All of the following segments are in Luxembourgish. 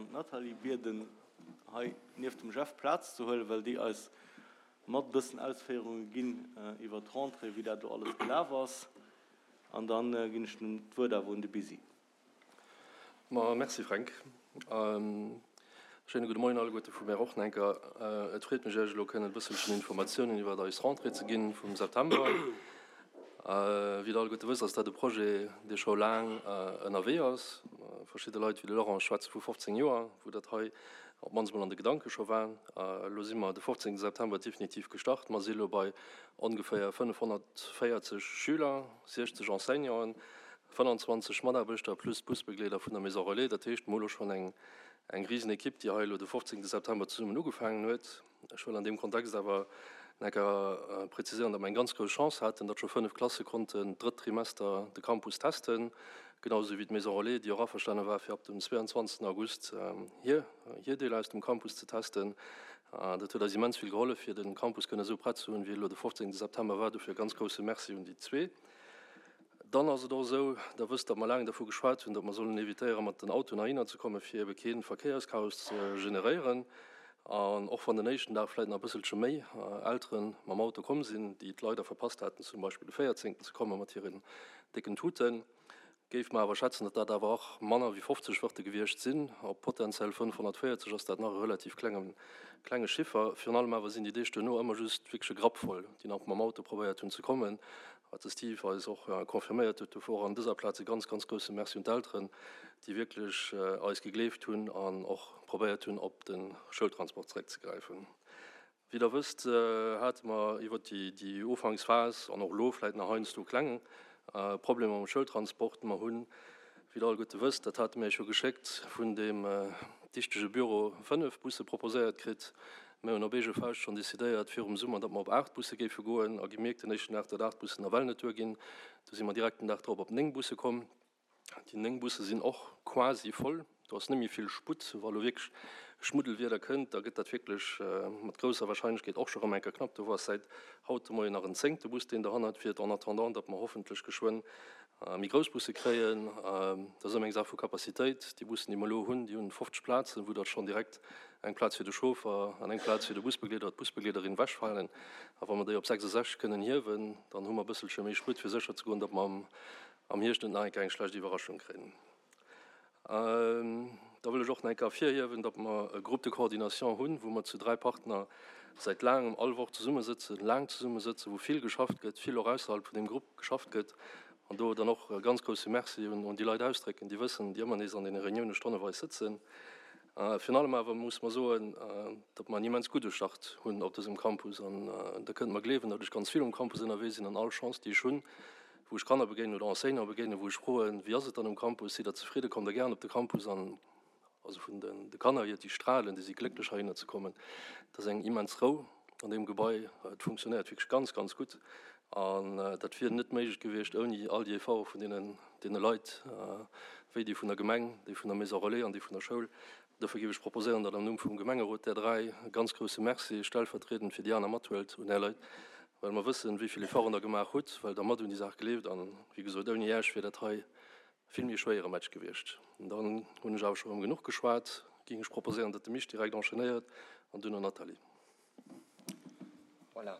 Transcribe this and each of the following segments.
an d'Nathalie bieden, hei nieft dem Jeff Plaz ze huelen, well déi eis mat e bëssen Ausféierunge ginn iwwert d'Rentrée, wéi dat do alles gelaf ass. An da ginn ech d'Wuert awer un de Bisi. Ma merci Fränk. Schéine gudde Moien alleguerte vu mär och nach eng Kéier. Et freet mech Iech elo kënnen e bësselchen Informatiounen iwwert eis Rentrée ze ginn vum September. Wéi der alleguerte wësst, ass dat e Projet, dee scho laang ënnerwee ass. Verschidde Leit wéi de Laurent schwätze vu 15 Joer, wou dat hei op d'mannst mol an de Gedanke scho war. Elo si mer de 15 September definitiv gestart. Mer si elo bei ongeféier 540 Schüler, 60 Enseignanten, 25 Mataarbechter plus d'Busbegleeder vun der Maison Relais. Dat heescht, mer hu lo schonn eng eng risen Ekipp, déi hei elo de 15 September zesummen ugefaangen huet. Ech wëll an deem Kontext awer nach eng Kéier präziséieren, datt mer eng ganz grouss Chance haten, datt scho 5 Klasse konnten d'drëtt Trimester de Campus testen, genau esou wéi d'Maison Relais, déi och averstane war, fir ab dem 22 August hir hir Deeler aus dem Campus ze testen. Dat huet eis immens vill gehollef, fir de Campus kënne esou prett ze hunn, wéi e elo de 15 September war. Dofir e ganz grousse Merci un déi zwee. Dann ass et och esou, Der wësst, datt mer laang dervu geschwat hunn, datt mer sollen évitéieren, mat den Autoen heihinner ze kommen, fir ebe kee Verkéierschaos ze generéieren. An och wann den éischten Dag vläicht nach e bësselche méi Eltere mam Auto komm sinn, déi et leider verpasst haten, zum Beispill de véierzéngten ze komme mat hiren décken Tuten, géife mer awer schätzen, datt dat awer och manner wéi 50 wërte gewiescht sinn. Op potenziell 540 ass dat nach e relativ klenge klenge Chiffer. Virun allem awer sinn déi Deeg duerno ëmmer just wierklech e Grapp voll, déi nach mam Auto probéiert hunn ze kommen. Wat de Steve eis och confirméiert huet. Dofir och an dëser Plaz e ganz, ganz grousse Merci un d'Elteren, déi wierklech eis gegleeft hunn an och probéiert hunn, op de Schoultransport zeréckzegräifen. Wéi Der wësst, hate mer iwwert déi Ufanksphas an och elo vläicht nach heiansdo kleng Problemer mam Schoultransport. Mer hunn, wéi Der alleguerte wësst, dat hate mir Iech jo geschéckt, vun deem dichtege Büro 5 Busse proposéiert kritt. Mir hunn op eege Fauscht schonn decidéiert virum Summer, datt mer op 8 Busse géife goen a gemierkt den éischten Dag, datt 8 Bussen nawell net duerginn. Du si mer direkt den Dag drop op 9 Busse komm. Déi 9 Busse sinn och quasi voll. Do ass net méi vill Sputt. Wa lo wierklech Schmuddelwieder kënnt, da gëtt dat wierklech mat grousser Warscheinlechkeet och scho rëm eng Kéier knapp. Do ass säit haut de Moien nach en zéngte Bus, deen dohannert fiert, en attendant, datt mer hoffentlech geschwënn méi grouss Busse kréien. Dat ass ëmmer eng Saach vu Capacitéit. Déi Bussen, déi mer elo hunn, déi hunn 50 Plazen, wou dat schonn direkt eng Plaz fir de Chauffer an eng Plaz fir de Busbegleeder oder d'Busbegleederin ewechfalen. A wa mer déi op 66 kënnen hiewen, dann hu mer e bësselche méi Sputt, fir sécher ze goen, datt mer am Hierscht net nach eng Kéier eng schlecht Iwwerraschung kréien. Da wëll ech och nach eng Kéier ervirhiewen, datt mer e Groupe de coordination hunn, wou mer zu dräi Partner säit laangem all Woch zesummesëtzen, laang zesummesëtzen, wou vill geschafft gëtt, vill och ausserhalb vun deem Grupp geschafft gëtt. An do dann och e ganz grousse Merci un déi Leit ausdrécken, déi wëssen, déi ëmmer nees an deene Reunioune stonneweis sëtzen. Virun allem awer muss mer soen, datt mer en immens gudde Start hunn op dësem Campus. An Der kënnt mer gleewen, datt ech ganz vill um Campus ënnerwee sinn an all Chance, déi ech hunn, wou ech Kanner begéinen oder Enseignanten begéinen, wou ech froen, Wéi ass et dann um Campus? Sidd Der zefridden? Kommt Der gären op de Campus? An also vun de Kanner hier, déi strahlen, déi si glécklech heihinner ze kommen. Et ass eng immens Rou an deem Gebai. Et funktionéiert wierklech ganz, ganz gutt. An dat wier net méiglech gewiescht ouni all déi Efforte vun deenen, deene Leit, wéi déi vun der Gemeng, déi vun der Maison Relais an déi vun der Schoul. Dofir géif ech proposéieren, datt am Numm vum Gemengerot där dräi e ganz grousse Merci stellvertriedend fir déi aner mathuelt un är Leit, well mer wëssen, wéi vill Efforten Der gemaach hutt, well Der mat un déi Saach gleeft. An, wéi gesot, ouni Äech wier dat hei vill méi schwéiere Match gewiescht. Dann hunn ech awer scho rëm genuch geschwat, géing ech proposéieren, datt de Misch direkt enchaînéiert an duerno Nathalie. Voilà.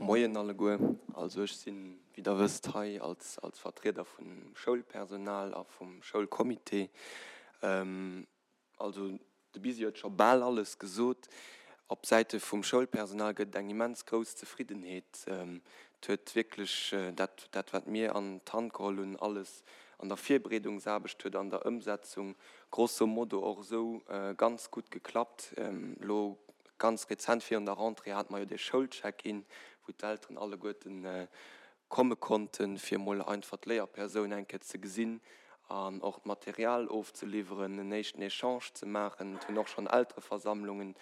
Moien alleguer. Also ech sinn, wéi der wësst, hei als als Vertrieder vum Schoulpersonal a vum Schoulcomité. Also de Bisi huet scho bal alles gesot. Op Säite vum Schoulpersonal gëtt et eng immens grouss Zefriddenheet. Et huet wierklech dat, dat wat mir an d'Hand geholl hunn, alles an der Virbereedungsaarbecht huet an der Ëmsetzung grosso modo och esou ganz gutt geklappt. Elo ganz rezent virun der Rentrée hate mer jo dee Schoulcheck-in, wou d'Elteren alleguerten komme konnten, fir emol einfach d'Léierpersoun eng Kéier ze gesinn an och d'Material ofzeliwweren, en éischten Echange ze maachen. Et hunn och schonn Eltereversammlungen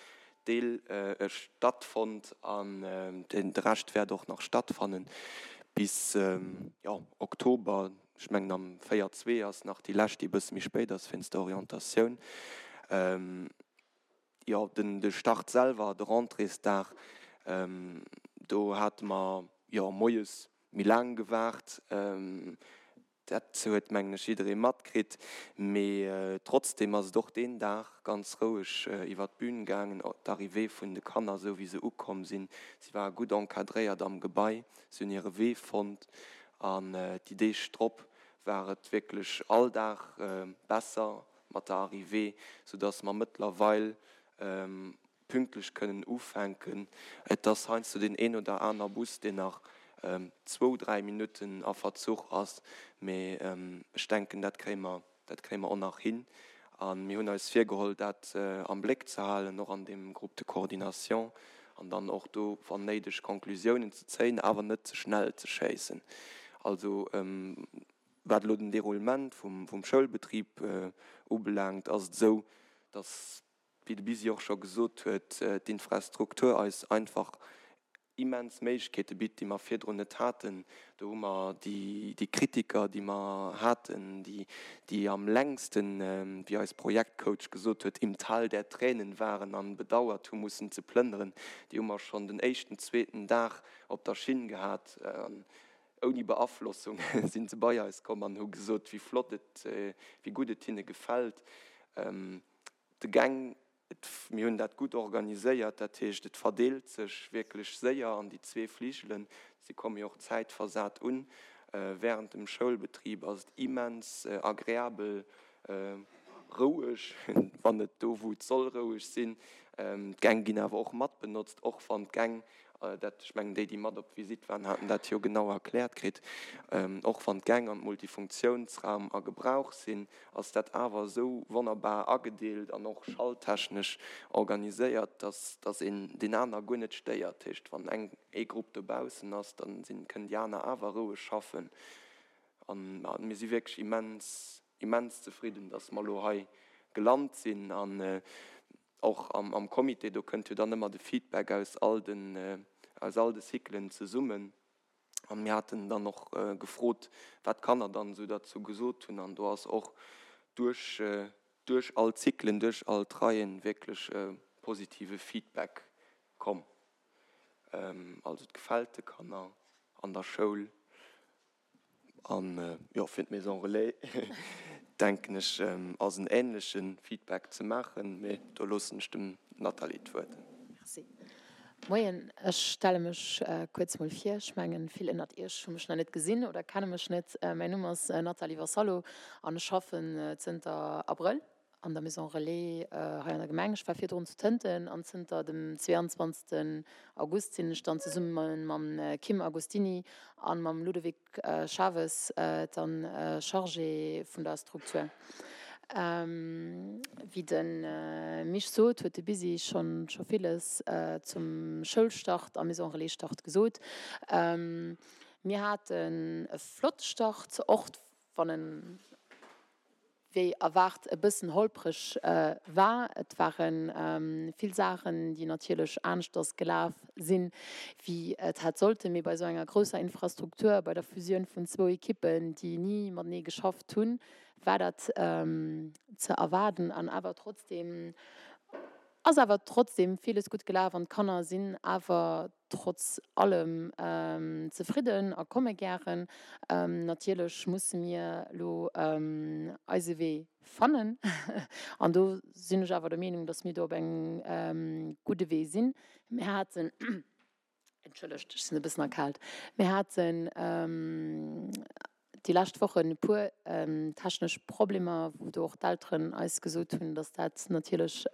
deel stattfonnt an de Rescht wäert och nach stattfannen bis, jo, Oktober. Ech mengen am 4 zwee ass nach déi lescht, déi e bësse méi spéit ass wéinst der Orientatioun. Jo, den de Start selwer, de Rentréesdag, do hate mer jo moies méi laang gewaart. Dat huet, mengen ech, jidderee matkritt. Mee trotzdeem ass et och deen Dag ganz roueg iwwer d'Bün gaangen. D'Arrivée vun de Kanner, esou wéi se ukomm sinn, si ware gutt encadréiert am Gebai, si hunn hire Wee fonnt. An déi Deeg drop war et wierklech all Dag besser mat der Arrivée, soudass mer mëttlerweil pünktlech kënnen ufänken. Et ass heiansdo deen een oder aner Bus, deen nach zwou, dräi Minutten a Verzuch ass, mee ech denken, dat kréie mer, dat kréie mer och nach hin. A mir hunn eis virgeholl, dat am Bléck ze halen, och an deem Groupe de coordination, an dann och do, wann néideg, Conclusiounen ze zéien, awer net ze schnell ze schéissen. Also, wat elo den Déroulement vum Schoulbetrib ubelaangt, ass et esou, dass wéi de Bisi och scho gesot huet, d'Infrastruktur eis einfach immens Méiglechkeete bitt, déi mer virdrun net haten. Do hu mer déi Kritiker, déi mer haten, déi am längsten, wéi eis Projektcoach gesot huet, im Tal der Tränen waren an bedauert hu mussen ze plënneren, déi hu mer schonn den éischten, zweeten Dag op der Schinn gehat. An ouni Beaflossung si se bei eis komm an hu gesot, wéi flott et, wéi gutt et hinne gefält. De Gäng, et, mir hunn dat gutt organiséiert, dat heescht, et verdeelt sech wierklech séier an déi zwee Fligelen. Si komme jo och zäitversat un. Während dem Schoulbetrib ass et immens agreabel roueg, wann et do wou et soll roueg sinn. D'Gäng ginn awer och mat benotzt, och wann d'Gäng Dat, ech mengen, déi, déi mat op d'Visitt waren, haten dat jo genau erkläert kritt. Och wann d'Gäng an d'Multifunktionsraum a Gebrauch sinn, ass dat awer esou wonnerbar agedeelt an och schalltechnesch organiséiert, dass, dass een deen aner guer net stéiert. Dat heescht, wann eng, ee Grupp dobaussen ass, da sinn, kënnen déi aner awer roueg schaffen. An mir si wierklech immens, immens zefridden, dass mer elo hei gelant sinn. An Och am Comité, do kënnt jo dann ëmmer de Feedback aus all den, aus all de Cyclen zesummen. An mir haten dann och gefrot, wat d'Kanner dann esou derzou gesot hunn. An do ass och duerch, duerch all d'Cyclen, duerch all d'Reien wierklech positive Feedback komm. Also et gefält de Kanner an der Schoul. An jo, fir d'Maison Relais denken ech, ass en änleche Feedback ze maachen, mee do loossen ech dem Nathalie d'Wuert. Merci. Moien, ech stelle mech kuerz mol vir. Ech mengen, vill ënnert Iech hu mech nach net gesinn oder kenne mech net. Mäin Numm ass Nathalie Vassallo an ech schaffen zënter Abrëll an der Maison Relais hei an der Gemeng. Ech war virdrun zu Tënten an zënter dem 22. August sinn ech dann zesumme mam Kim Agostini a mam Ludovic Chaves dann Chargé vun der Struktur. Wéi de Misch sot, huet de Bisi schonn scho villes zum Schoulstart a Maison Relais Start gesot. Mir haten e flotte Start, och wann en wéi erwaart e bëssen holpreg war. Et ware vill Saachen, déi natierlech aneschters gelaf sinn, wéi et hätt sollten. Mee bei esou enger grousser Infrastruktur, bei der Fusioun vun zwou Ekippen, déi ni matenee geschafft hunn, war dat ze erwaarden. An awer trotzdeem ass awer trotzdeem villes gutt gelaf an d'Kanner sinn awer trotz allem zefridden a komme gären. Natierlech musse mir elo eise Wee fannen an do sinn ech awer der Meenung, datt mir do op engem gudde Wee sinn. Mir haten, entschëllegt, ech sinn e bëssen erkaalt, mir haten déi lescht Wochen e puer technesch Problemer, wou do och d'Elteren eis gesot hunn, datt dat natierlech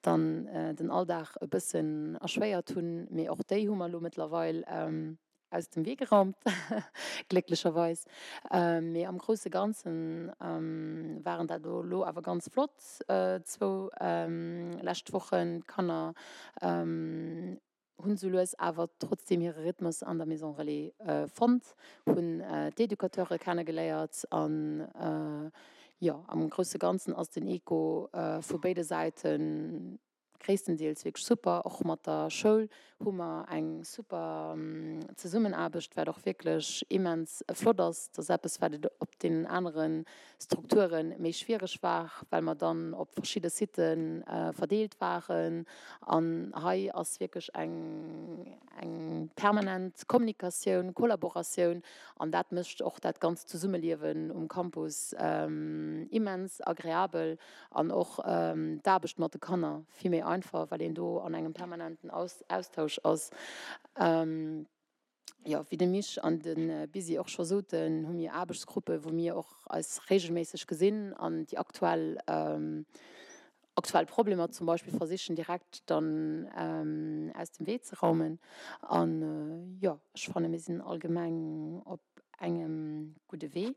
dann den Alldag e bëssen erschwéiert hunn. Mee och déi hu mer elo mëttlerweil aus dem Wee geraumt, glécklecherweis. Mee am grousse Ganze waren dat elo awer ganz flott zwou lescht Wochen. D'Kanner hunn sou lues awer trotzdeem hire Rhythmus an der Maison Relais fonnt, hunn d'Educateure kennegeléiert an jo, am grousse Ganzen ass den Echo vu béide Säite. gréisstendeels wierklech super. Och mat der Schoul hu mer eng super Zesummenaarbecht, wat och wierklech immens flott ass. Dat ass eppes, wat et op deenen anere Strukture méi schwiereg war, well mer dann op verschidde Sitë verdeelt waren. An hei ass wierklech eng eng permanent Kommunikatioun, Kollaboratioun an dat mécht och dat ganzt Zesummeliewen um Campus immens agreabel an och d'Aarbecht mat de Kanner vill méi einfach, well een do an engem permanenten Austausch ass. Jo, wéi de Misch an de Bisi och scho soten, hu mir Aarbechtsgruppe wou mir och eis reegelméisseg gesinn an déi aktuell aktuell Problemer zum Beispill versichen direkt dann aus dem Wee ze raumen. An jo, ech fanne mir sinn allgemeng op engem gudde Wee.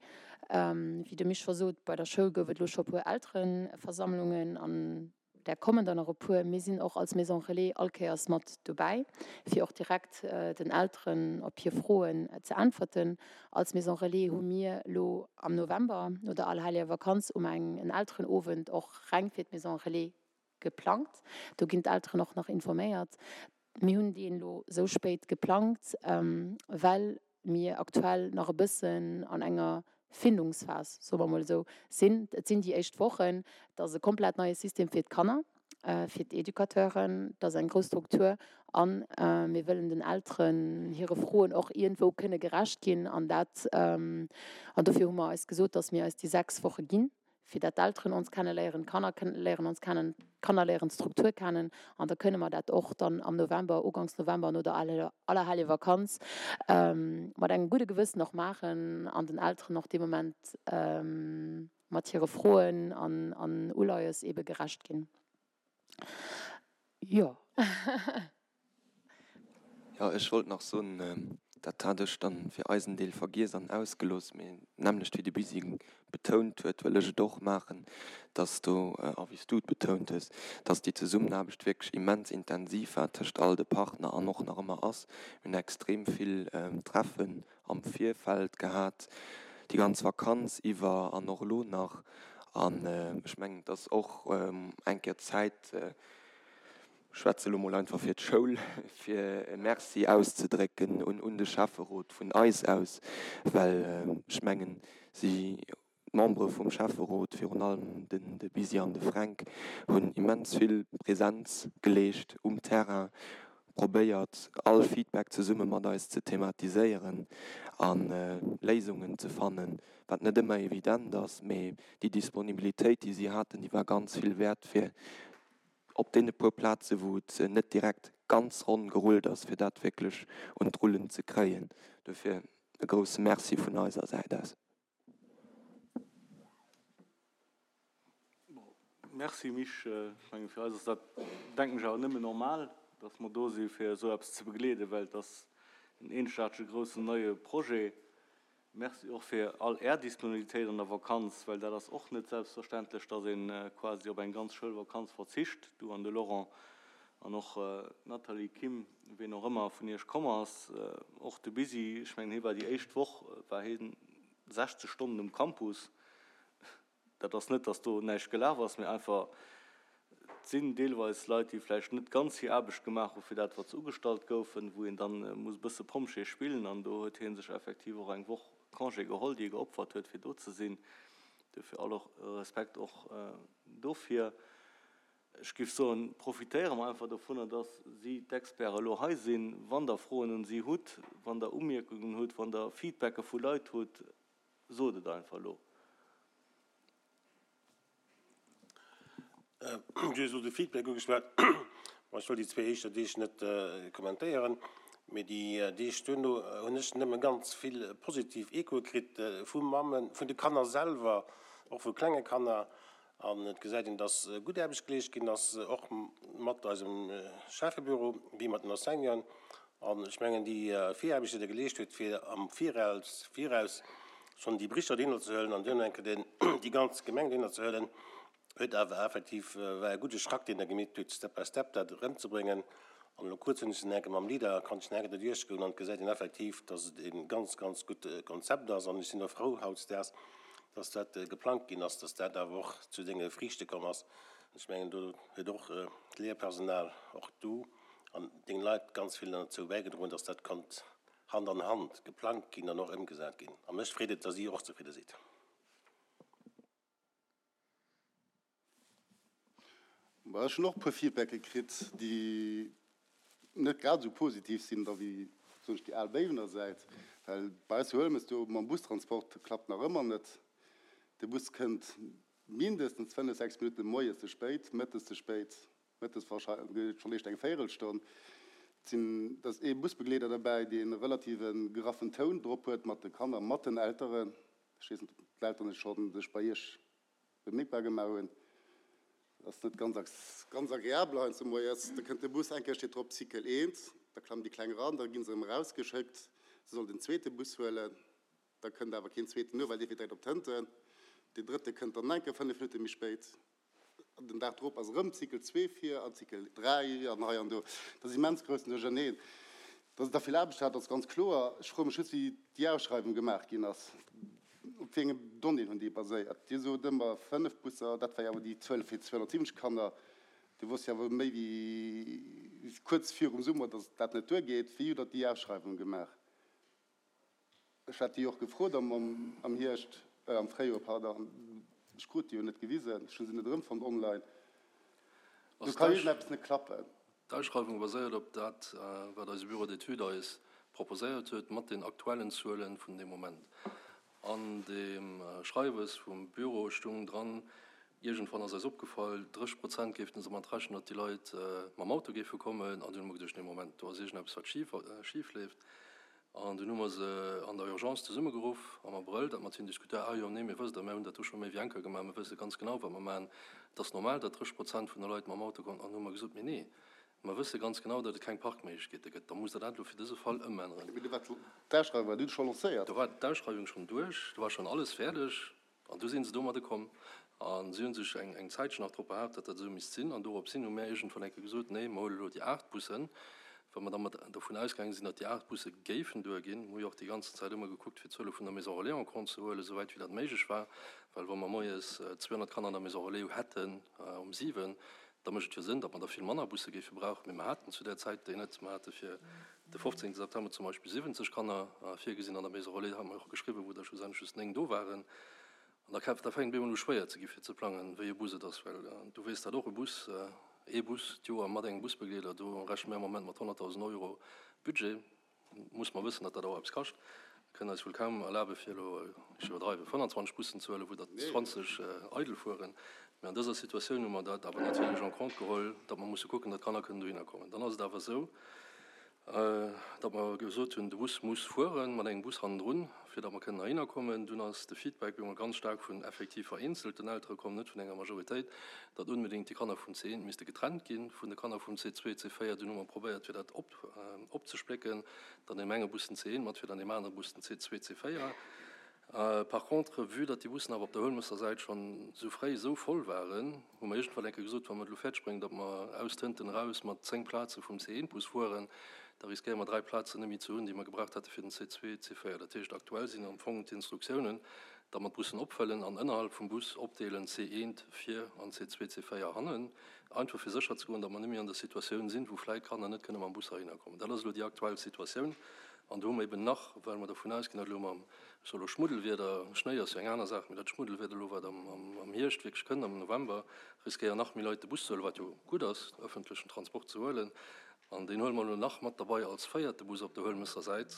Wéi de Misch scho sot, bei der Schoul gouf et elo scho e puer Eltereversammlungen an där kommen der nach e puer. Mir sinn och als Maison Relais all Kéiers mat dobäi, fir och direkt den Elteren op hir Froen ze äntwerten. Als Maison Relais hu mir elo am November no der Allerhellegevakanz um eng en Elterenowend och reng fir d'Maison Relais geplangt. Do ginn d'Elteren och nach informéiert. Mir hunn deen elo esou spéit geplangt, well mir aktuell nach e bëssen an enger Findungsphas, soe mer emol esou, sinn. Et sinn déi éischt Wochen. Et ass e komplett neie System fir d'Kanner, fir d'Educateuren. Et ass eng grouss Struktur a mir wëllen den Elteren hire Froen och iergendwou kënne gerecht ginn. An dat, an dofir hu mer eis gesot, datt mir eis déi 6 Woche ginn, fir dat d'Elteren ons kenne léieren, d'Kanner léieren ons kennen, d'Kanner léieren d'Struktur kennen an da kënne mer dat och dann am November, uganks November no der Allerheljevakanz mat engem gudde Gewëssen och maachen an den Elteren och dee Moment mat hire Froen an Uleies eebe gerecht ginn. Jo. Jo, ech wollt nach soen, dat hat ech dann fir eisen Deel vergiess an ausgelooss, mee d'nämmlecht wéi de Busy betount huet, wëll ech et och maachen, dass do, a wéi s du et betount hues, dass déi Zesummenaarbecht wierklech immens intensiv war tëscht all de Partner an och nach ëmmer ass. Mir hunn extrem vill Treffen am Virfeld gehat, déi ganz Vakanz iwwer an och elo nach. An ech mengen, et ass och eng Kéier Zäit, ech schwätze elo mol einfach fir d'Schoul, fir e Merci auszedrécken un de Schäfferot vun eis aus, well ech mengen, si D'Membere vum Schäfferot, virun allem den de Bisi an de Fränk, hunn immens vill Präsenz geleescht um Terrain, probéiert all Feedback zesumme mat eis ze thematiséieren a Léisungen ze fannen, wat net ëmmer evident ass. Mee déi Disponibilitéit, déi si haten, déi war ganz vill wäert fir op deene puer Plaze wou et net direkt ganz ronn gerullt ass, fir dat wierklech un d'Rullen ze kréien. Dofir e grousse Merci vun eiser Säit aus. Merci Misch. Ech mengen fir eis ass dat, denken ech, awer nëmmen normal, datt mer do si fir esou eppes ze begleeden, well et ass en eenzegaartege groussen neie Projet. Merci och fir all Är Disponibilitéit an der Vakanz, well dat ass och net selbstverständlech, datt ee quasi op eng ganz Schoulvakanz verzicht, du an de Laurent an och d'Nathalie, Kim, ween och ëmmer vun Iech komm ass, och de Busy. Ech mengen hie war déi éischt Woch war hie 60 Stonnen um Campus. Dat ass net, datt do näischt gelaf ass, mee einfach, et sinn deelweis Leit, déi vläicht net ganz hir Aarbecht gemaach hu fir dat, wat se ugestallt goufen, wou een dann muss e bësse Pompjee spillen. An do huet hie sech effektiv och eng Woch Congé geholl, déi e geopfert huet, fir do ze sinn. Dofir all Respekt och dofir. Ech géif soen, profitéiere mer einfach dovunner, dass si, d'Experten, elo hei sinn. Wann Der Froen un si hutt, wann Der Umierkungen hutt, wann Der Feedbacke vu Leit hutt, sot et einfach elo. Du hues elo de Feedback ugeschwat. Bon, ech wëll déi zwee éischter Deeg net kommentéieren, mee déi Deeg duerno hunn ech nëmme ganz vill positiv Echoe kritt vu Mammen, vun de Kanner selwer, och vu klenge Kanner. An et gesäit een, dass gutt Aarbecht geleescht ginn ass, och mat eisem Schäffebüro wéi mat den Enseignanten. An ech mengen, déi Viraarbecht, déi Der geleescht hutt, fir am Viraus, Viraus schonn déi Berichter dohinner ze huelen an duerno eng Kéier déi ganz Gemeng dohinner ze huelen, huet awer effektiv, war e gudde Schrack, deen Der gemeet hutt, Step by Step dat erëmzebréngen. An elo kuerz hunn ech den enke mam Leader, konnt ech den enke do duerchgoen an et gesäit een effektiv, dass et e ganz, ganz gutt Konzept ass. An ech sinn och frou hautdesdaags, dass dat geplangt ginn ass, dass dat awer och zu senge Friichte komm ass. An ech mengen, do huet och d'Léierpersonal, och du an deng Leit ganz vill derzou bäigedroen, dass dat konnt Hand an Hand geplangt ginn an och ëmgesat ginn. A mech freet et, dass Dir och zefridde sidd. Ech hunn och e puer Feedbacke kritt, déi net grad esou positiv sinn da wéi, soen ech, déi al Béiwener Säit. Well bei eis zu Huelmes do mam Bustransport klappt nach ëmmer net. De Bus kënnt mindestens 5, 6 Minutte moies ze spéit, mëttes ze spéit, mëttes warscheinlech schonn eréischt eng Véierelstonn. Et sinn, et ass ee Busbegleeder derbäi, dee relativ e graffen Toun drop huet mat de Kanner, mat den Elteren. Ech weess net, ob d'Elteren et schonn sech bei Iech bemierkbar gemaach hunn. Dat ass net ganz, ganz agreabel heiansdo moies. Da kënnt de Bus, eng Kéier steet drop Cycle 1, da klammen déi Kleng eran, da gi se erëm erausgeschéckt, se sollen den zweete Bus huelen, da kënnt awer keen zweeten no, well dee fiert direkt op d'Hënten. Deen drëtte kënnt dann eng Kéier 5 Minutte méi spéit. An den Dag drop ass erëm Cycle 2 vir an Cycle 3 an hei an do. Dat ass immens groussen Duercherneen. Dass et da vill Aarbecht hat, ass ganz kloer. Ech froe mech just, wéi déi Ausschreiwung gemaach ginn ass. Op wéi enge Donnéeën hunn déi baséiert? Dir sot ëmmer 5 Busser, dat war jo awer déi Zuel fir 270 Kanner. Dir wosst jo awer méi wéi kuerz virum Summer, datt dat net duergeet. Wéi hutt Der déi Ausschreiwung gemaach? Ech hat déi och gefrot am Hierscht, am Fréijoer, pardon. Ech krut déi jo net gewisen. Ech hu se net erëmfonnt online. Do ka iergendeppes net klappen. D'Ausschreiwung baséiert op dat, wat eise Bureau d'études eis proposéiert huet, mat den aktuellen Zuele vun deem Moment. An deem Schreiwes vum Bureau stung dran, iergendwann ass eis opgefall, 30 Prozent géiften se mat rechnen, datt déi Leit mam Auto géife kommen. An dunn hu mer geduecht, nee Moment, do ass iergendeppes, wat schif leeft. An dunn hu mer se an der Urgence zesummegeruff am Abrëll, dat mat hinnen diskutéiert. Ah jo, nee, mir wësst der, mir hunn dat do scho méi wéi eng Kéier gemaach, mir wësse ganz genau, wat mer maachen. Et ass normal, datt 30 Prozent vun de Leit mam Auto kommen. An hu mer gesot, mee nee, mer wësse ganz genau, datt et keng Parkméiglechkeete gëtt. Da musst Der dat elo fir dëse Fall ëmänneren. Mee do war d'Ausschreiwung war dunn scho lancéiert. Do war d'Ausschreiwung schonn duerch, do war schonn alles fäerdeg. An du sinn se domadde komm a si hu sech eng Zäitchen nach drop behaapt, datt dat esou misst sinn. An doropshin hu mär iergendwann eng Kéier gesot, Nee, mer huele elo déi 8 Bussen, well mer da mat dovun ausgaange sinn, datt déi 8 Busse géifen duerginn. Mer hu jo och déi ganzen Zäit ëmmer gekuckt, fir d'Zuele vun der Maison relais en compte ze huelen, esouwäit wéi dat méiglech war. Well wa mer moies 200 Kanner an der Maison relais hätten um 7, da mécht et jo Sënn, datt mer der vill manner Busse géife brauchen. Mee mer haten zu där Zäit déi net. Mer hate fir de 15 September zum Beispill 70 Kanner virgesinn an der Maison relais, hate mer och geschriwwen, wou der schlussendlech just 9 do waren. An da da fänkt et op eemol u schwéier ze gi fir ze plangen, wéi e Bus et ass, well du weess dat och, e Bus, ee Bus d'Joer mat engem Busbegleeder, do rechne mir am Moment mat 100.000 Euro Budget. Muss mer wëssen, datt dat och eppes kascht. Mir kënnen eis wuel kaum erlabe fir elo, ech iwwerdreiwen, 25 Bussen ze huelen, wou der 20 eidel fueren. Mä an dëser Situatioun hu mer dat awer natierlech en compte geholl, datt mer musse kucken, datt d'Kanner kënnen dohinner kommen. Dann ass et awer esou, datt mer gesot hunn, de Bus muss fueren, mat engem Bus hannendrun, fir datt mer kënnen heihinner kommen. Dunn ass de Feedback op eemol ganz staark vun effektiv vereenzelten Eltere komm, net vun enger Majoritéit, datt onbedéngt déi Kanner vum C1 misste getrennt gi vun de Kanner vum C2, C4. Dunn hu mer probéiert, fir dat op opzesplécken, dann deem enge Bus den C1 mat fir, dann deem anere Bus den C2, C4. Par contre, vue datt déi Bussen awer op der Huelmësser Säit schonn esou fréi esou voll waren, hu mer iergendwann eng Kéier gesot, wa mer et elo fäerdeg bréngen, datt mer aus Tënten eraus mat 10 Plaze vum C1-Bus fueren, da riskéiere mer 3 Plazen net méi ze hunn, déi mer gebraucht hätte fir den C2, C4. Dat heescht, aktuell sinn am Fong d'Instruktiounen, datt mer d'Bussen opfëllen an ënnerhalb vum Bus opdeelen, C1 vir an C2, C4 hannen. Einfach fir sécher ze goen, datt mer net méi an der Situatioun sinn, wou vläit Kanner net kënne mam Bus heihinner kommen. Dat ass elo déi aktuell Situatioun. An do hu mer eben nach, well mer dervun ausginn, datt elo mam, ech soe elo Schmuddelwieder, Schnéi ass jo eng aner Saach, mee dat Schmuddelwieder elo, wat am Hierscht wierklech kënnt, am November, riskéieren nach méi Leit de Bus ze huelen, wat jo gutt ass, ëffentlechen Transport ze huelen. An deen huele mer elo nach mat derbei als véierte Bus op der Huelmësser Säit,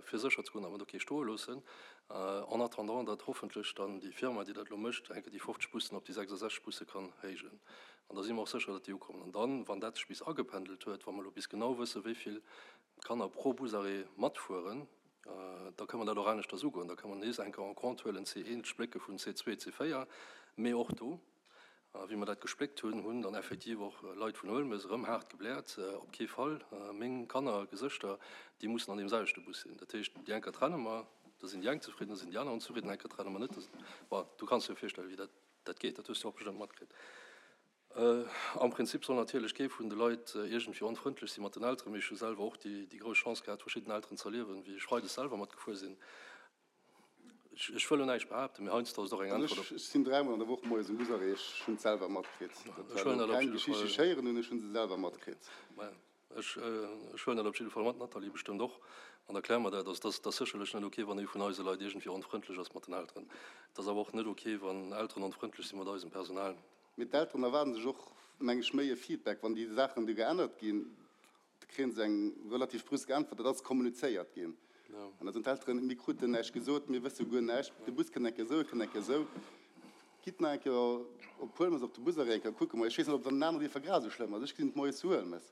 fir sécher ze goen, datt mer do kee stoe loossen, en attendant, datt hoffentlech dann déi Firma, déi dat elo mécht, eng Kéier déi 50 Bussen op déi 66 Busse kann héijen. An da si mer och sécher, datt déi ukommen. An dann, wann dat sech bis agependelt huet, wa mer elo bis genau wëssen, wéi vill Kanner pro Busarrêt matfueren, da kënne mer dat och aneschters ugoen. Da kënne mer nees eng Kéier en compte huelen, C1, d'Splécke vun C2, C4, mee och do, A wéi mer dat gespléckt hunn, hunn dann effektiv och Leit vun Huelmes erëm haart gebläert, Op kee Fall, meng Kanner, Gesëschter, déi mussen an deem selwechte Bus sinn. Dat heescht, déi eng Kéier trenne mer, da sinn déi eng zefridden, da sinn déi aner onzefridden, eng Kéier trenne mer net, da sinn. Bon, du kanns dir jo virstellen, wéi dat, dat geet. Dat hues du och bestëmmt matkritt. Am Prinzip soll natierlech kee vun de Leit iergendwéi onfrëndlech si mat den Elteren, mee ech hu selwer och déi, déi grouss Chance gehat, verschidden Elteren z'erliewen, wéi ech freides selwer matgefuer sinn. Ech wëll elo näischt behaapten, mee heiansdo ass et och eng Äntwert op. Ech sinn dräimol an der Woch moies um Busarrêt, ech hunn et selwer matkritt. Dat war elo keng Geschicht, déi ech héieren hunn, ech hu se selwer matkritt. Ech huelen dat op jidde Fall mat, d'Nathalie bestëmmt och, an da kläre mer dat. Also, et ass sécherlech net ok, wann ee vun eise Leit iergendwéi onfrëndlech ass mat den Elteren. Et ass awer och net ok, wann Elteren onfrëndlech si mat eisem Personal. Mee d'Elteren erwaarden sech och, meng ech, méi e Feedback, wann déi Saachen du geännert ginn. Da kréie se eng relativ brüsk Äntwert, dat ass kommunizéiert ginn. An da soen d'Elteren, mir kruten näischt gesot, mir wësse guer näischt, de Bus kënnt eng Kéier esou, e kënnt eng Kéier esou. Gitt nach eng Kéier op Huelmes op de Busarrêt eng Kéier kucken. Ech weess net, ob et an den aneren Dierfer grad esou schlëmm ass. Ech gesinn et moies zu Huelmes.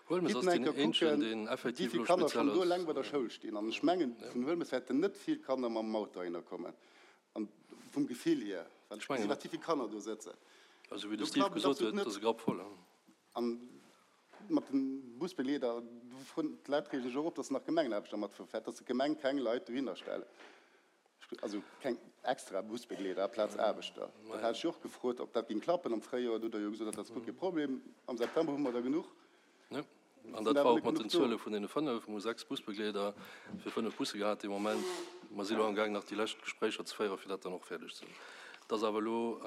Huelmes Gitt ass nach eng deen Kéier eenzegen, kucken, deen wéi effektiv vill elo Kanner speziell schonn do ass. eleng bei der Schoul stinn. An ech mengen, vun Huelmes wäerten net vill Kanner mam Auto heihinner kommen. An vum Gefill hier, well ech Ech mengen gesinn, net. wat wéi vill Kanner do sëtzen. Also wéi de Do Steve klappt et gesot absolut huet, net. ass e Grapp voll. An mat de Busbegleeder, d'Leit reegen sech och op, datt nach Gemengenaarbechter matfueren, datt d'Gemeng keng Leit dohinner stellt, also keng extra Busbegleeder aplaz Aarbechter. Dat hat ech jo och gefrot, ob dat géing klappen am Fréijoer. Do hutt Der jo gesot, dat ass guer kee Problem, am September hu mer der genuch. Jo, an dat war och mat den Zuele vun deene 5. Mir hu 6 Busbegleeder fir 5 Busse gehat dee Moment. Mer si elo amgaang nach déi lescht Gespréicher ze féieren, fir dat dann och fäerdeg ze hunn. Et ass awer elo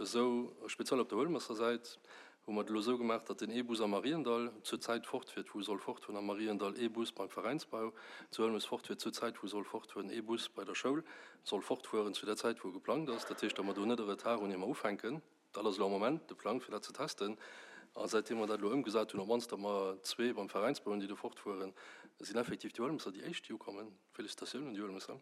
esou, speziell op der Huelmesser Säit, hu mer et elo esou gemaach, datt deen ee Bus am Mariendall zur Zäit fortfiert, wou e soll fortfueren, am Mariendall ee Bus beim Veräinsbau zu Huelmes fortfiert zur Zäit, wou e soll fortfueren, ee Bus bei der Schoul soll fortfueren zu der Zäit, wou e geplangt ass. Dat heescht, datt mer do net e Retard hunn, ier mer ufänken. Dat ass elo am Moment de Plang, fir dat ze testen. A säitdeem mer dat elo ëmgesat hunn, op d'mannst datt mer zwee beim Veräinsbau hunn, déi do fortfueren, sinn effektiv déi Huelmesser déi éischt, déi ukommen. Félicitatiounen un déi Huelmesser.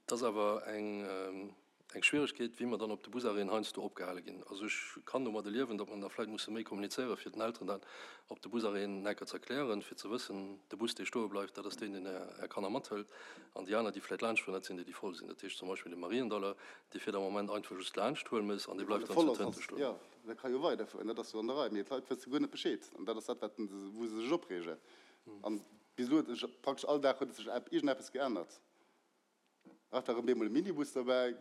Et ass awer eng. Eng Schwieregkeet, wéi mer dann op de Busarrêten heiansdo opgehale ginn. Also ech kann domadde liewen, datt mer da vläicht musse méi kommunizéieren, fir den Elteren dat op de Busarrêten enker ze erklären, fir ze wëssen, de Bus, dee stoe bleift, dat ass deen, deen Är Kanner mathëlt, an déi aner, déi vläicht laanschtfueren, dat sinn déi, déi voll sinn. Dat heescht zum Beispill de Mariendaller, dee fiert am Moment einfach just laanscht Huelmes an dee bleift dann zu Tënte stoen. Jo, dat ka jo weiderfueren, dat ass jo an der Rei, mee d'Leit wësse guer net Bescheed an dat ass dat, wat wou se sech opreegen. An bis elo huet sech praktesch all Dag huet et sech iergendeppes geännert. Ach, da rëm bemol e Minibus derbäi.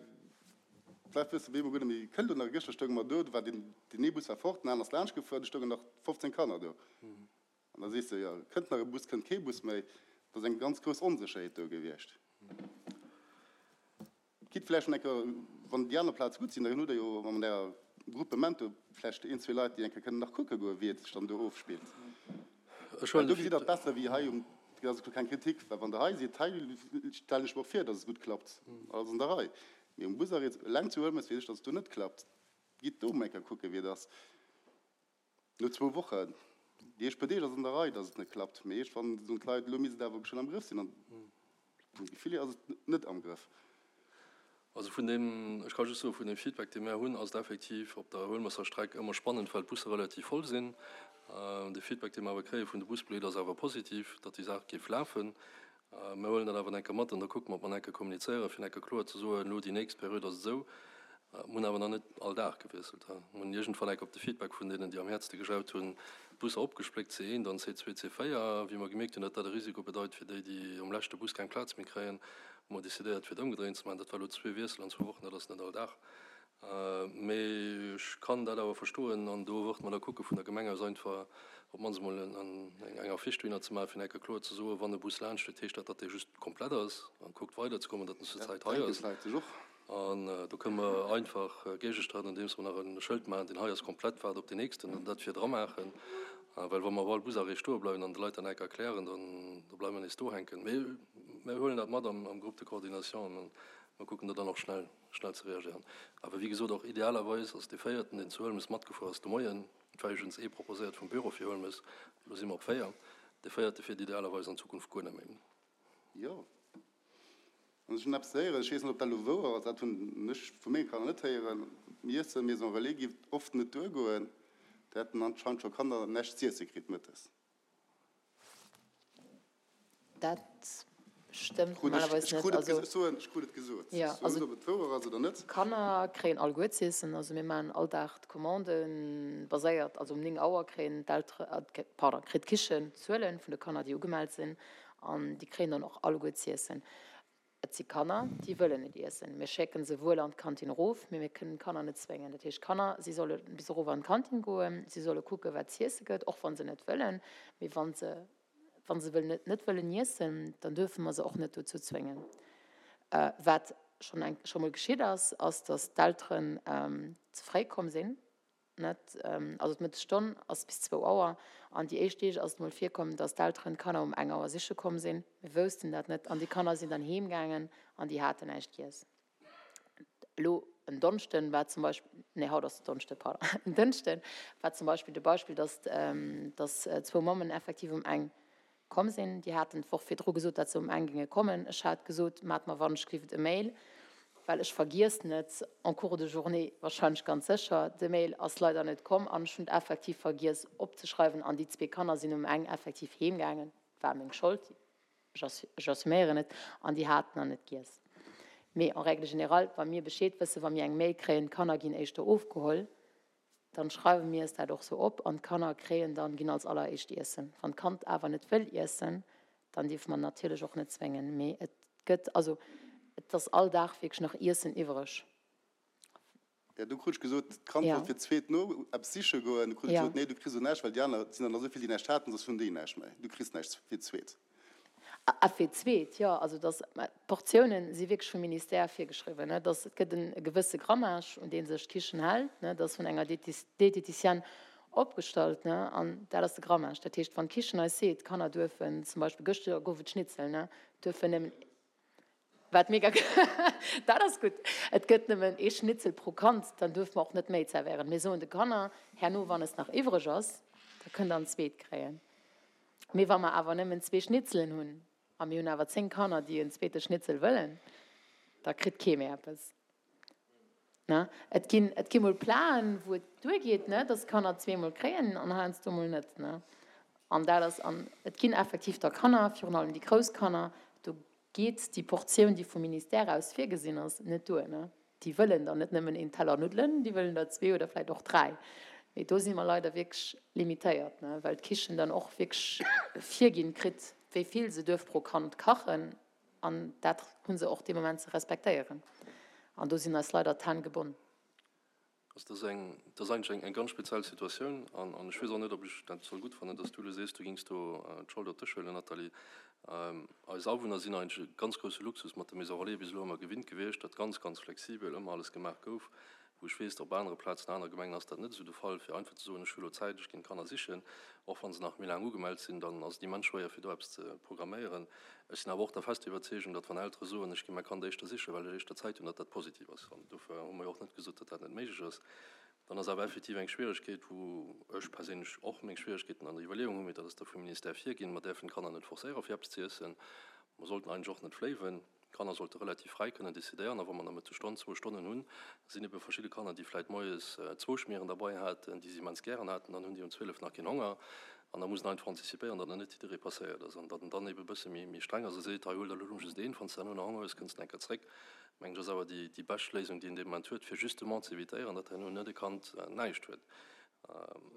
D'Leit wësse bemol guer net méi, kënnt do nach e. Gëschter stounge mer do, do war deen, deen ee Bus war fort, den aner ass laanscht gefuer, du stoungen nach 15 Kanner do. An da sees de, jo, kënnt nach e Bus, kënnt kee Bus méi. Et ass eng ganz grouss Onsécherheet do gewiescht. Gitt vläicht nach eng Kéier, wann déi aner Plaze gutt sinn, da hutt Der jo an Ärer Groupement do vläicht een, zwee Leit, déi eng Kéier kënnen nach kucke goen, wéi et sech dann do ofspillt. Ech Well huelen do de gesitt Der et Feed. besser wéi hei um, dat ass elo keng Kritik, well wann Der hei sidd, hei stellen ech mer och vir, datt et gutt klappt, alles an der Rei. Mee um Busarrêt eleng zu Huelmes weess ech, datt et do net klappt. Gitt do emol eng Kéier kucken, wéi et ass. No zwou Wochen, déi éischt puer Deeg ass et an der Rei, datt et net klappt, mee iergendwann soen d'Leit, elo misst et awer schonn am Grëff sinn. An vum Gefill hier ass et net am Grëff. Also vun deem, ech ka just soen, vun deem Feedback, dee mär hunn, ass et effektiv op der Huelmesser Streck ëmmer spannend, well d'Busse relativ voll sinn. De Feedback, dee mer awer kréie vun de Busbegleeder, ass awer positiv, datt déi Saach géif lafen. Mir huelen dat awer enke mat an da kucke mer, ob mer enke kommunizéieren, fir enke kloer ze soen, elo déi nächst Period ass et esou. Mir hunn awer nach net all Dag gewiesselt. Mir hunn iergendwann enke op de Feedback vun deenen, déi am häertste gejaut hunn, d'Busser opgespléckt, C1, dann C2, C4. Wéi mer gemierkt hunn, datt dat e Risiko bedeit fir déi, déi um leschte Bus keng Plaz méi kréien, hu mer decidéiert, fir et ëmgedréint ze maachen. Dat war elo zwee Wiessel an zwou Wochen, dat ass net all Dag. Mee ech kann dat awer verstoen an do wërt mer da kucke vun der Gemeng aus einfach op d'mannst emol eng Affiche dohinner ze maachen, fir enke kloer ze soen, wann e Bus laanscht fiert, heescht dat, datt dee just komplett ass an kuckt weiderzekommen, datt en zur Dat Zäit hei denken ass. d'Leit sech och. An do kënne mer einfach géigestreiden, andeems mer nach e Schëld maachen, deen hei ass komplett, waart op deen nächsten an dat virdra maachen. Well wa mer op all Busarrêt stoe bleiwen an de Leit dat enke erklären, dann da bleiwe mer nees do hänken. Mee mir huelen dat mat am Groupe de coordination an mer kucken do dann och schnell. Schnell ze reagéieren. Awer wéi gesot, och idealerweis ass dee véierten, deen zu Huelmes matgefuer ass de Moien, et war iwwregens ee proposéiert vum Büro fir Huelmes, elo si mer op 4, dee véierte fiert idealerweis an Zukunft guer net méi. Jo, an ech hunn eppes héieren, ech weess net, ob dat elo wouer ass, dat hunn ech vu menge Kanner net héieren, Iesse Maison Relais géif oft net duergoen, do hätten anscheinend scho Kanner näischt z'iesse kritt mëttes. Dat stëmmt normalerweis Ech net. krut et Also, ges-, ech soen, ech krut et gesot. Ja, Ech soen also net, ob et wouer ass oder net. D'Kanner kréien alleguer z'iessen. Also mir maachen all Dag d'Commande baséiert, also um 9 Auer kréien d'Eltere, pardon, kritt d'Kichen d'Zuele vun de Kanner, déi ugemellt sinn, an déi kréien dann och alleguer z'iessen. Et si Kanner, déi wëllen net iessen. Mir schécke se wuel an d'Kantin erof, mee mir kënnen d'Kanner net zwéngen. Dat heescht, d'Kanner, si solle bis erof an d'Kantin goen, si solle kucken, wat z'iesse gëtt, och wa se net wëllen. Mee wa se. Wa se wëllen net wëllen iessen, dann duerfe mer se och net dozou zwéngen. Wat schonn eng scho mol geschitt ass, ass, datt d'Elteren ze fréi komm sinn, net? Also d'Mëttesstonn ass bis zwou Auer an déi éischt Deeg ass et mol virkomm, datt d'Elteren d'Kanner um eng Auer siche komm sinn. Mir woussten dat net an déi Kanner sinn dann heem gaangen an déi haten näischt giess. Elo en Donneschden war zum Beispill, nee haut ass Donneschde, pardon, en Dënschde war zum Beispill de Beispill, datt datt zwou Mammen effektiv um eng komm sinn. Déi haten d'Woch virdru gesot, datt se um eng géinge kommen. Ech hat gesot, Maacht mer wannechgelift e Mail, well ech vergiess net en cours de journée wahrscheinlech ganz sécher. De Mail ass leider net komm an ech hunn et effektiv vergiess opzeschreiwen an déi zwee Kanner sinn um eng effektiv heemgaangen. War meng Schold. Ech assuméieren et, an déi haten nach net giess. Mee en règle générale, wa mir Bescheed wëssen, wa mir eng Mail kréien, d'Kanner ginn éischter ofgeholl, dann schreiwe mir es dat och sou op an d'Kanner kréien dann, ginn als alleréischt iessen. Wann d'Kand awer net wëll iessen, dann dierfe mer natierlech och net zwéngen. Mee et gëtt, also et ass all Dag wierklech nach Iessen iwwereg. Jo, du krut ech gesot, d'Kand wollt fir d'zweet no eppes siche goen. Du krut ech gesot, nee, du kriss elo näischt, well déi aner, et sinn der nach esou vill, déi näischt haten, soss hunn déi näischt méi. Du kriss näischt fir d'zweet. A fir d'zweet, jo. Also dass, mä d'Portiounen si wierklech vum Ministère virgeschriwwen, ne, dass et gëtt e gewësse Grammage, un dee sech d'Kichen hält, ne, dat ass vun enger Diététicienne opgestallt, ne, an dat ass de Grammage. Dat heescht, wann d'Kichen eis seet, d'Kanner duerfen zum Beispill, gëschter gouf et Schnitzel, ne, duerfen nëmmen Wat mega, dat ass gutt. Et gëtt nëmmen ee Schnitzel pro Kand, dann duerfe mer och net méi zerwéieren. Mir soen de Kanner herno, wann es nach iwwreg ass, da kënnt der en zweet kréien. Mee wa mer awer nëmmen zwee Schnitzelen hunn a mir hunn awer 10 Kanner, déi en zweete Schnitzel wëllen, da kritt kee méi eppes. Ne? Et ginn, et gi mol Platen, wou et duergeet, ne, dass d'Kanner zweemol kréien an heiansdo mol net, ne. An dat ass, an et ginn effektiv da Kanner, virun allem déi grouss Kanner, do geet déi Portioun, déi vum Ministère aus virgesinn ass, net duer, ne. Déi wëllen dann net nëmmen een Teller Nuddelen, déi wëllen der zwee oder vläicht och dräi. Mee do si mer leider wierklech limitéiert, ne, well d'Kichen dann och wierklech virginn kritt, wéi vill se duerf pro Kand kachen. An dat hu se och dee Moment ze respektéieren. An do sinn eis leider d'Hänn gebonn. Also dat ass eng, dat ass eigentlech eng ganz speziell Situatioun. An ech weess och net, ob ech dat soll gutt fannen, dass du elo sees, du géings do d'Schold op dech huelen, Nathalie. Eis Awunner sinn eigentlech e ganz grousse Luxus mat der Maison relais bis elo ëmmer gewinnt gewiescht, datt ganz, ganz flexibel ëmmer alles gemaach gouf. Wou ech weess, op anere Plazen, aner Gemengen ass dat net esou de Fall, fir einfach ze soen, ech hu elo Zäit, ech ginn d'Kanner sichen, och wa se nach méi laang ugemellt sinn, dann ass et immens schwéier, fir do eppes ze programméieren. Ech sinn awer och der fester Iwwerzeegung, datt wann Eltere soen, ech gi mäi Kand éischter sichen, well ech éischter Zäit hunn, datt dat positiv ass. An dofir hu mer jo och net gesot, datt dat net méiglech ass. Dann ass awer effektiv eng Schwieregkeet, wou ech perséinlech och meng Schwieregkeeten an der Iwwerleeung hunn, mee dat ass da vum Ministère virginn, Mer däerfen d'Kanner net forcéieren, fir eppes ze iessen. Mer sollten eigentlech och net fléiwen. D'Kanner sollte relativ fräi kënnen decidéieren. A wa mer Nomëttesstonn, zwou Stonnen hunn, sinn ebe verschidde Kanner, déi vläit moies zwou Schmieren derbei haten, déi se immens gären haten, dann hunn déi um 12 nach keen Honger. An da muss een einfach antizipéieren, datt nach net jidderee passéiert ass an datt en dann ebe e bësse méi streng ass a seet, hei huel der elo just een, wann s de herno nach Honger hues, kënns de eng Kéier zréck. Mengen ech ass awer déi bescht Léisung, déi een dee Moment huet, fir justement ze evitéieren, datt herno net e Kand näischt huet.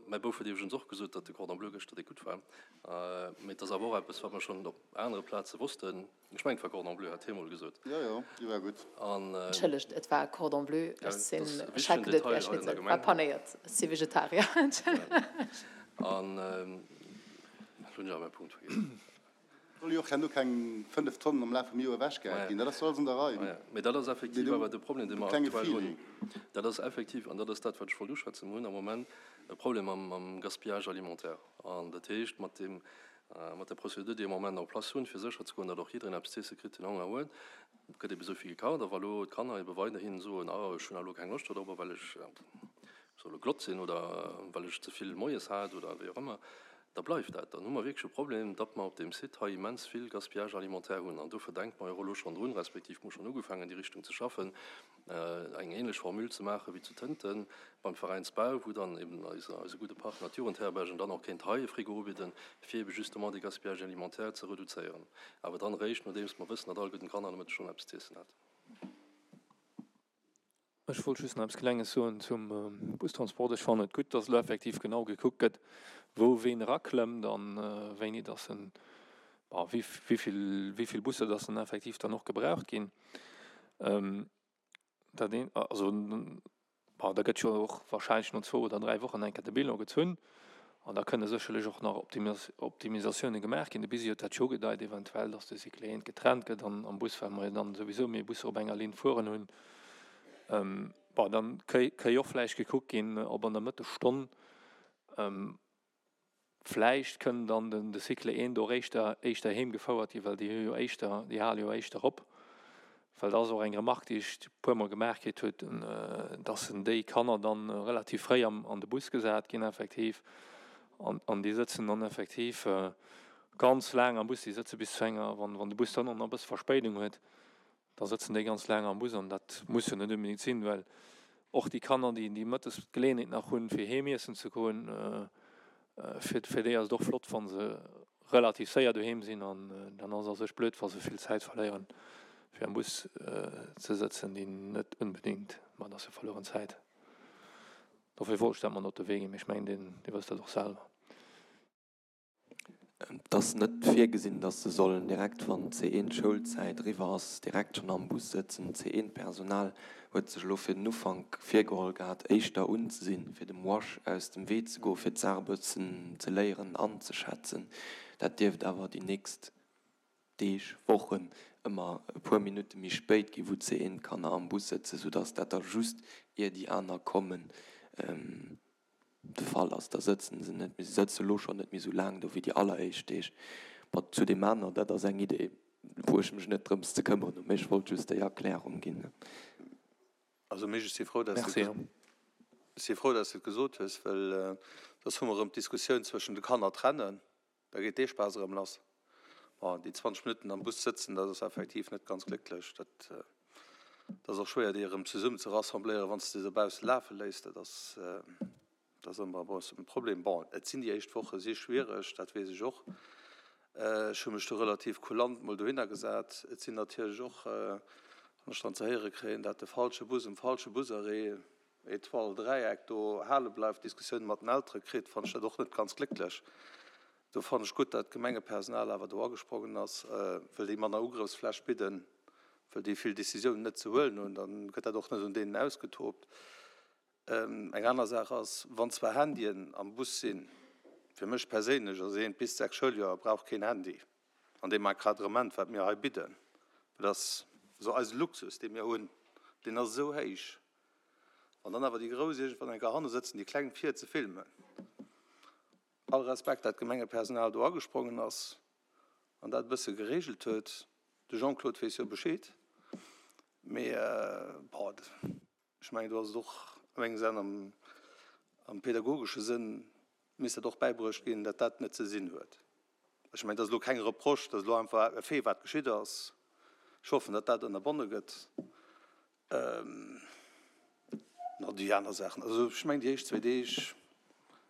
Mäi Bouf huet iwwregens och gesot, datt de Cordon bleu gëschter déck gutt war. Mee et ass awer och eppes, wat mer schonn op anere Plaze wossten. Ech mengen, et war Cordon bleu, hat hie mol gesot. Jo, jo, déi war gutt. Entschëllegt, et war Cordon bleu. Ech sinn, ech hat geduet, et wär Schnitzel. War panéiert. Ech si Vegetarier. Entschëllegt. An elo hunn ech awer mäi Punkt vergiess. Soll jo och herno keng 5 Tonnen am Laf vum Joer ewechgehäit ginn. Dat ass jo alles an der Rei. Mee dat ass effektiv awer de Problem, dee mer aktuell hunn. Dat ass effektiv, an dat ass dat, wat ech wollt uschwätzen, mer hunn am Moment e Problem mam Gaspillage alimentaire. An dat heescht, mat deem, mat der Procédure, déi am Moment en place hunn, fir sécherzegoen, datt och jiddereen eppes z'iesse kritt, deen Honger huet, gëtt ebe esou vill gekacht. A wa lo d'Kanner ebe weiderhin soen, ah, ech hunn elo keng Loscht dorobber, well ech soll elo glott sinn oder well ech ze vill moies hat oder wéi och ëmmer, da bleift dat. Dann hu mer wierklech e Problem, datt mer op deem Site hei immens vill Gaspillage alimentaire hunn. An dofir denke mer jo och elo schonn drun, respektiv hu mer schonn ugefaangen, an déi Richtung ze schaffen, eng ähnlech Formule ze maache wéi zu Tënten beim Veräinsbau, wou dann eben eise gudde Partner d'Jugendherbergen dann och kéint hei e Frigo ubidden, fir ebe justement dee Gaspillage alimentaire ze reduzéieren. Awer dann eréischt, nodeems mer wëssen, datt all gudden Kanner am Mëtteg schonn eppes z'iessen hat. Ech wollt just nach eppes Klenges soen zum Bustransport. Ech fannen et gutt, dass elo effektiv genau gekuckt gëtt, wou ween eraklëmmt a wéini dass en, bon, wéi vill, wéi vill Busser dass dann effektiv dann och gebraucht ginn. Dat een, also, bon, da gëtt jo och wahrscheinlech no zwou oder dräi Wochen eng Kéier de Bilan gezunn. An da kënne sécherlech och nach Optimisatioune gemaach ginn. De Bisi huet dat jo ugedeit, eventuell, datt de Cycle 1 getrennt gëtt an am Bus, well mer jo dann souwisou méi Busser op enger Linn fueren hunn. Bon, dann kéi och vläicht gekuckt ginn, ob an der Mëttesstonn vläicht kënn dann de Cycle 1 do éischter éischter heem gefouert ginn, well déi hu jo éischter, déi hale jo éischter op. Well dat ass och eng Remarque, déi ech e puermol gemaach kritt huet, dass déi Kanner dann relativ fréi am an de Bus gesat ginn effektiv an an déi sëtzen dann effektiv ganz laang am Bus. Déi sëtze bis zu enger, wann wann de Bus dann och nach e bësse Verspéidung huet, Da sëtzen déi ganz laang am Bus an dat muss jo net unbedéngt sinn, well och déi Kanner, déi déi mëttes d'Geleeënheet nach hunn, fir heem iessen ze goen, fir fir déi ass et och flott, wa se relativ séier doheem sinn an dann ass et a sech blöd, wa se vill Zäit verléieren, fir am Bus ze sëtzen, déi net unbedéngt, ma et ass jo verlueren Zäit. Dofir wollt ech dat mat op de Wee ginn, mee ech mengen, Dir wësst dat och selwer. Et ass net virgesinn, dass se sollen direkt, wann d'C1-Schoulzäit eriwwer ass, direkt schonn am Bus sëtzen. D'C1-Personal huet sech elo fir den Ufank virgeholl gehat, éischter unzesinn, fir dem Wash aus dem Wee ze goen, fir d'Saach e bëssen ze léieren anzeschätzen. Dat dierft awer déi nächst Deeg, Wochen ëmmer e puer Minutte méi spéit ginn, wou d'C1-Kanner am Bus sëtzen, soudass dat da just ier déi aner kommen, de Fall ass, da sëtzen se net méi, se sëtze lo schonn net méi esou laang do wéi déi alleréischt Deeg. Bon, zu deem aner, dat ass eng Idee, wou ech mech net drëms ze këmmeren hunn, mee ech wollt just déi Erklärung ginn. Also Misch, ech si frou, dass du, ech si frou, dass du et gesot hues, well soss hu mer erëm d'Diskussioun zwëschen de Kanner trennen. Da geet dee Spaass erëm lass. Bon, déi 20 Minutten am Bus sëtzen, dat ass effektiv net ganz glécklech. Dat ass och schwéier, déi erëm zesummen ze rassembléieren, wann s de se dobausse lafe léiss. Dat ass, dat ass ëmmer e bëssen e Problem. Bon, et sinn déi éischt Woche si schwiereg, dat weess ech och. Ech hu mech do relativ kulant mol dohinner gesat. Et sinn natierlech och, wann ech dann ze héiere kréien, dat de falsche Bus um falsche Busarrêt, Etoile, Dräieck do hale bleift, Diskussioune mat den Eltere kritt, fannen ech dat och net ganz glécklech. Do fannen ech gutt, dat d'Gemengepersonal awer do agesprongen ass, well déi manner Ugrëffsfläch bidden, well déi vill Decisiounen net ze huelen hunn. Da gëtt dat och net un deenen ausgetobt. Eng aner Saach ass, wann zwar Handyen am Bus sinn, fir mech perséinlech ass eent bis 6 Schouljoer brauch keen Handy an deem Encadrement, wat mir hei bidden, dat ass esou eise Luxus, dee mir hunn, deen ass esou héich. Wann dann awer déi Grouss iergendwann eng Kéier hanne sëtzen, déi Kleng vir ze filmen. All Respekt, dat d'Gemengepersonal do agesprongen ass an dat e bësse geregelt huet. De Jean-Claude weess jo Bescheed. Mee bon, ech mengen, do ass et och a mengem Senn, am pedagogesche Sënn misst dat och bäibruecht ginn, dat dat net ze sinn huet. Ech mengen, dat ass elo keng Reproche, dat ass elo einfach e Fait, wat geschitt ass. Ech hoffen, datt dat ënnerbonne gëtt. No déi aner Saachen, also ech mengen déi éischt zwéi Deeg,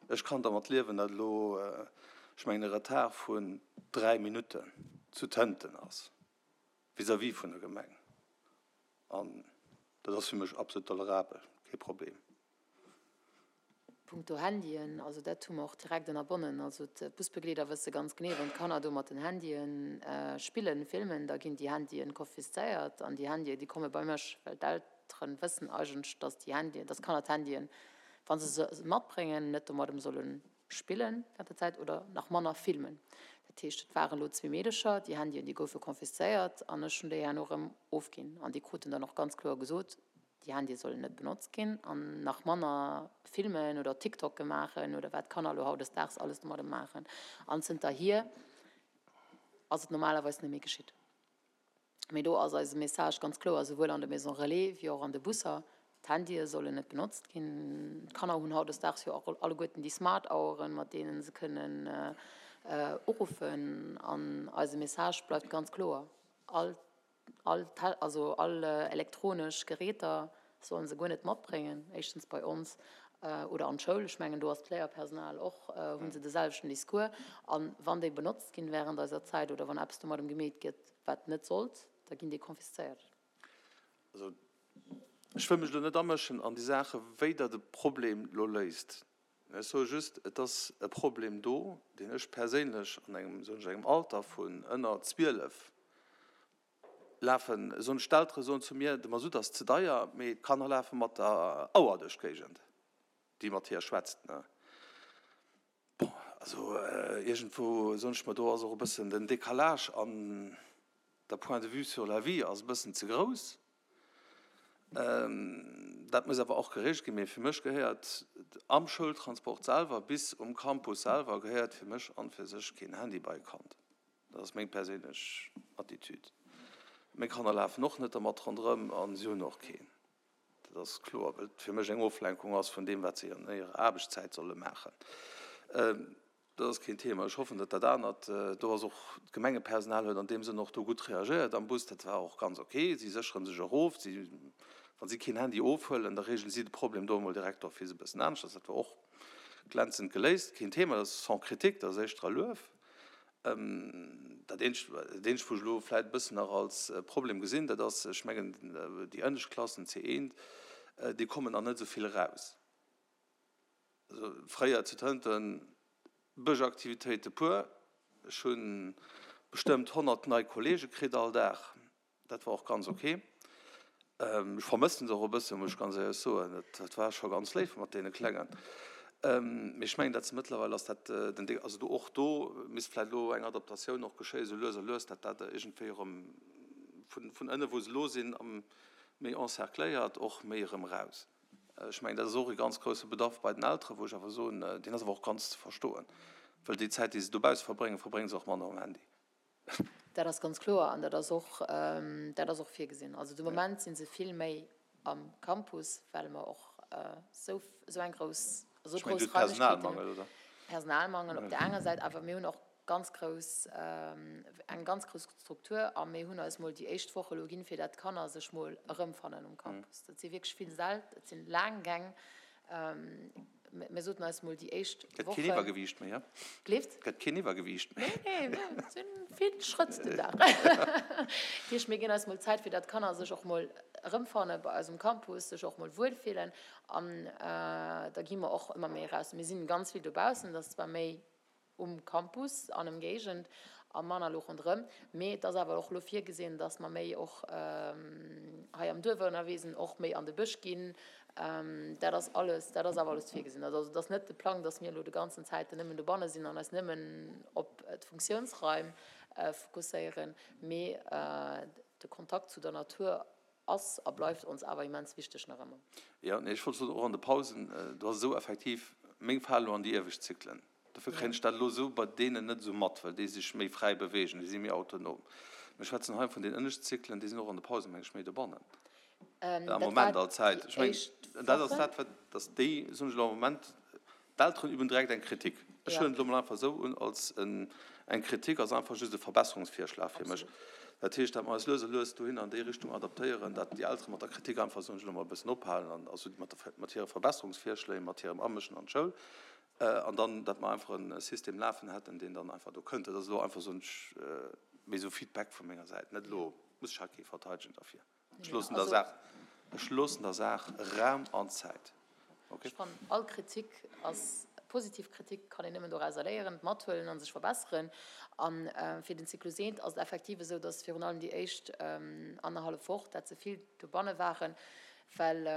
ech kann dermat liewen, datt elo, ech mengen e Retard vun 3 Minutten zu Tënten ass vis-à-vis vun der Gemeng an dat ass fir mech absolut tolerabel, kee Problem. Punkto Handyen, also dat hu mer och direkt ënnerbonnen. Also d'Busbegleeder wësse ganz genee, wann d'Kanner do mat den Handyen spillen, filmen, da ginn déi Handyen konfiszéiert an déi Handyen, déi komme bei mech, well d'Eltere wëssen eigentlech, dass déi Handyen, dass d'Kanner d'Handyen, wa se se matbréngen, net domadem solle spillen während der Zäit oder nach manner filmen. Dat heescht, et waren elo zwee Meedecher, déi Handyen, déi goufe konfiszéiert an ech hunn déi herno erëm ofginn an déi kruten dann och ganz kloer gesot, Déi Handye sollen net benotzt ginn an nach manner Filmen oder TikToke maachen oder wat d'Kanner elo hautdesdaags alles domadde maachen. An zënterhier ass et normalerweis net méi geschitt. Mee do ass eise Message ganz kloer, souwuel an de Maisons Relais wéi och an de Busser, D'Handye sollen net benotzt ginn. D'Kanner hunn hautdesdaags jo och alleguerten déi Smart-Aueren, mat deene se kënnen uruffen. An eise Message bleift ganz kloer, All All, also all elektronesch Geräter sollen se guer net matbréngen, éischtens bei ons oder an d'Schoul. Ech mengen do ass d'Léierpersonal och, hu se de selwechten Discours. A wann déi benotzt ginn während eiser Zäit oder wann eppes domadem gemeet gëtt, wat net sollt, da ginn déi konfiszéiert. Also ech wëll mech elo net amëschen an déi Saache wéi Der de Problem elo léist. Ech soe just, et ass e Problem do, deen ech perséinlech an engem, soen ech, engem Alter vun ënner 12 lafen, soen ech, d'Eltere soen zu mir, de Masutt ass ze deier, mee d'Kanner lafe mat der Auer duerch d'Géigend, déi mat hir schwätzt. Bon. Also iergendwou soen ech mer, do ass och e bëssen den Décalage an der Point de vue sur la vie ass e bëssen ze grouss. Dat muss awer och gereegelt ginn. Mee fir mech gehéiert am Schoultransport selwer bis um Campus selwer gehéiert fir mech an fir sech keen Handy bei e Kand. Dat ass meng perséinlech Attitude. Meng Kanner lafen och net dermat ronderëm a si hunn och keen. Dat ass kloer, well et fir mech eng Oflenkung ass vun deem, wat si an hirer Aarbechtszäit solle maachen. Dat ass keen Thema. Ech hoffen, datt dat anert do ass. Och d'Gemengepersonal huet an deem Sënn och do gutt reagéiert am Bus. Dat war och ganz ok. Si séchere sech erof. Si, wa si keen Handy ofhuelen, da reegele si de Problem do emol direkt d'office e bëssen aneschters. Dat war och glänzend geléist. Keen Thema. Dat ass sans critique, dat ass éischter e Luef. Dat eenzegt, dat eenzegt, wou ech elo vläicht e bëssen nach als Problem gesinn, dat ass, ech mengen, déi ënnescht Klassen, C1, déi kommen nach net esou vill eraus. Also fréier zu Tënten, Bëschaktivitéite puer, ech hu bestëmmt 100 nei Kollege kritt all Dag. Dat war och ganz ok. Ech vermëssen se och e bëssen, muss ech ganz éierlech soen. Dat war scho ganz léif mat deene Klengen. Mee ech mengen, dat se mëttlerweil ass dat den Dé, also do och do misst vläicht elo eng Adaptatioun och geschéien, esou lues a lues, dat dat iergendwéi erëm vun, vun ënne wou se elo sinn, méi encercléiert, och méi erëm eraus. Ech mengen, dat ass och e ganz grousse Bedarf bei den Elteren, wou ech awer soen, deen ass awer och ganz ze verstoen, well déi Zäit, déi se dobausse verbréngen, verbrénge se och manner um Handy. Dat ass ganz kloer an dat ass och, dat ass och virgesinn. Also de Moment si se vill méi am Campus, well mer och esou, esou eng grouss, esou Ech mengen, grouss du hutt Raimlechkeeten Personalmangel, oder? Personalmangel op där enger Säit, awer mir hunn och ganz grouss, eng ganz grouss Struktur a mir hunn eis mol déi éischt Woch elo ginn, fir dat d'Kanner sech mol erëmfannen um Campus. Dat si wierklech vill Säll, et sinn laang Gäng. Mir soten eis mol déi éischt Gëtt keen Wochen. Iwwergewiicht méi, he? Gleeft? Gëtt keen Iwwergewiicht méi. Nee, nee, et sinn vill Schrëtt den Dag. Dat heescht, mir ginn eis mol Zäit, fir datt d'Kanner sech och mol erëmfanne bei eis um Campus, sech och mol wuelfillen. An da gi mer och ëmmer méi eraus. Mir sinn ganz vill dobaussen, et ass zwar méi um Campus an Ëmgéigend a manner elo ronderëm. Mee et ass awer och elo virgesinn, datt mer méi och hei am Duerf ënnerwee sinn, och méi an de Bësch ginn. Dat ass alles, dat ass awer alles virgesinn. Also et ass net de Plang, datt mir elo de ganzen Zäiten nëmmen dobanne sinn an eis nëmmen op d'Funktiounsraim fokusséieren, mee de Kontakt zu der Natur Ass a bleift ons awer immens wichteg nach ëmmer. Jo, nee, ech wollt soen, och an de Pausen, do ass esou effektiv, meng falen elo an déi iewescht Zyklen. Dofir kréien ech dat elo esou bei deenen net esou mat, well déi sech méi fräi beweegen, déi si méi autonom. Mir schwätzen hei vun den ënneschten Zyklen, déi sinn och an de Pausen, meng ech, méi dobannen. Am Moment all Zäit. Ech mengen, dat ass dat, wat, dass déi, soen ech elo am Moment, D'Elteren üben direkt eng Kritik. Ech huelen et elo mol einfach esou un als eng Kritik, ass einfach just e Verbesserungsvirschlag fir mech. Dat heescht, dat mer eis lues a lues dohinner an déi Richtung adaptéieren, dat déi Eltere mat der Kritik einfach, soen ech elo mol, e bëssen ophalen an also mat der, mat hire Verbesserungsvirschléi, mat hirem Amëschen an d'Schoul an dann, dat mer einfach e System lafen hätten, deen dann einfach do kënnt. Dat ass elo einfach, soen ech, méi esou Feedback vu menger Säit, net elo muss ech hei kee verteidegen derfir. Ech loossen der Saach, ech loossen der Saach Raum an Zäit. Okay? Ech fannen, all Kritik ass positiv Kritik, kann een nëmmen dorauser léieren, mathuelen a sech verbesseren. A fir den Zyklus eent ass et effektiv esou, datt virun allem déi éischt annerhallef Woch, dat se vill dobanne waren, well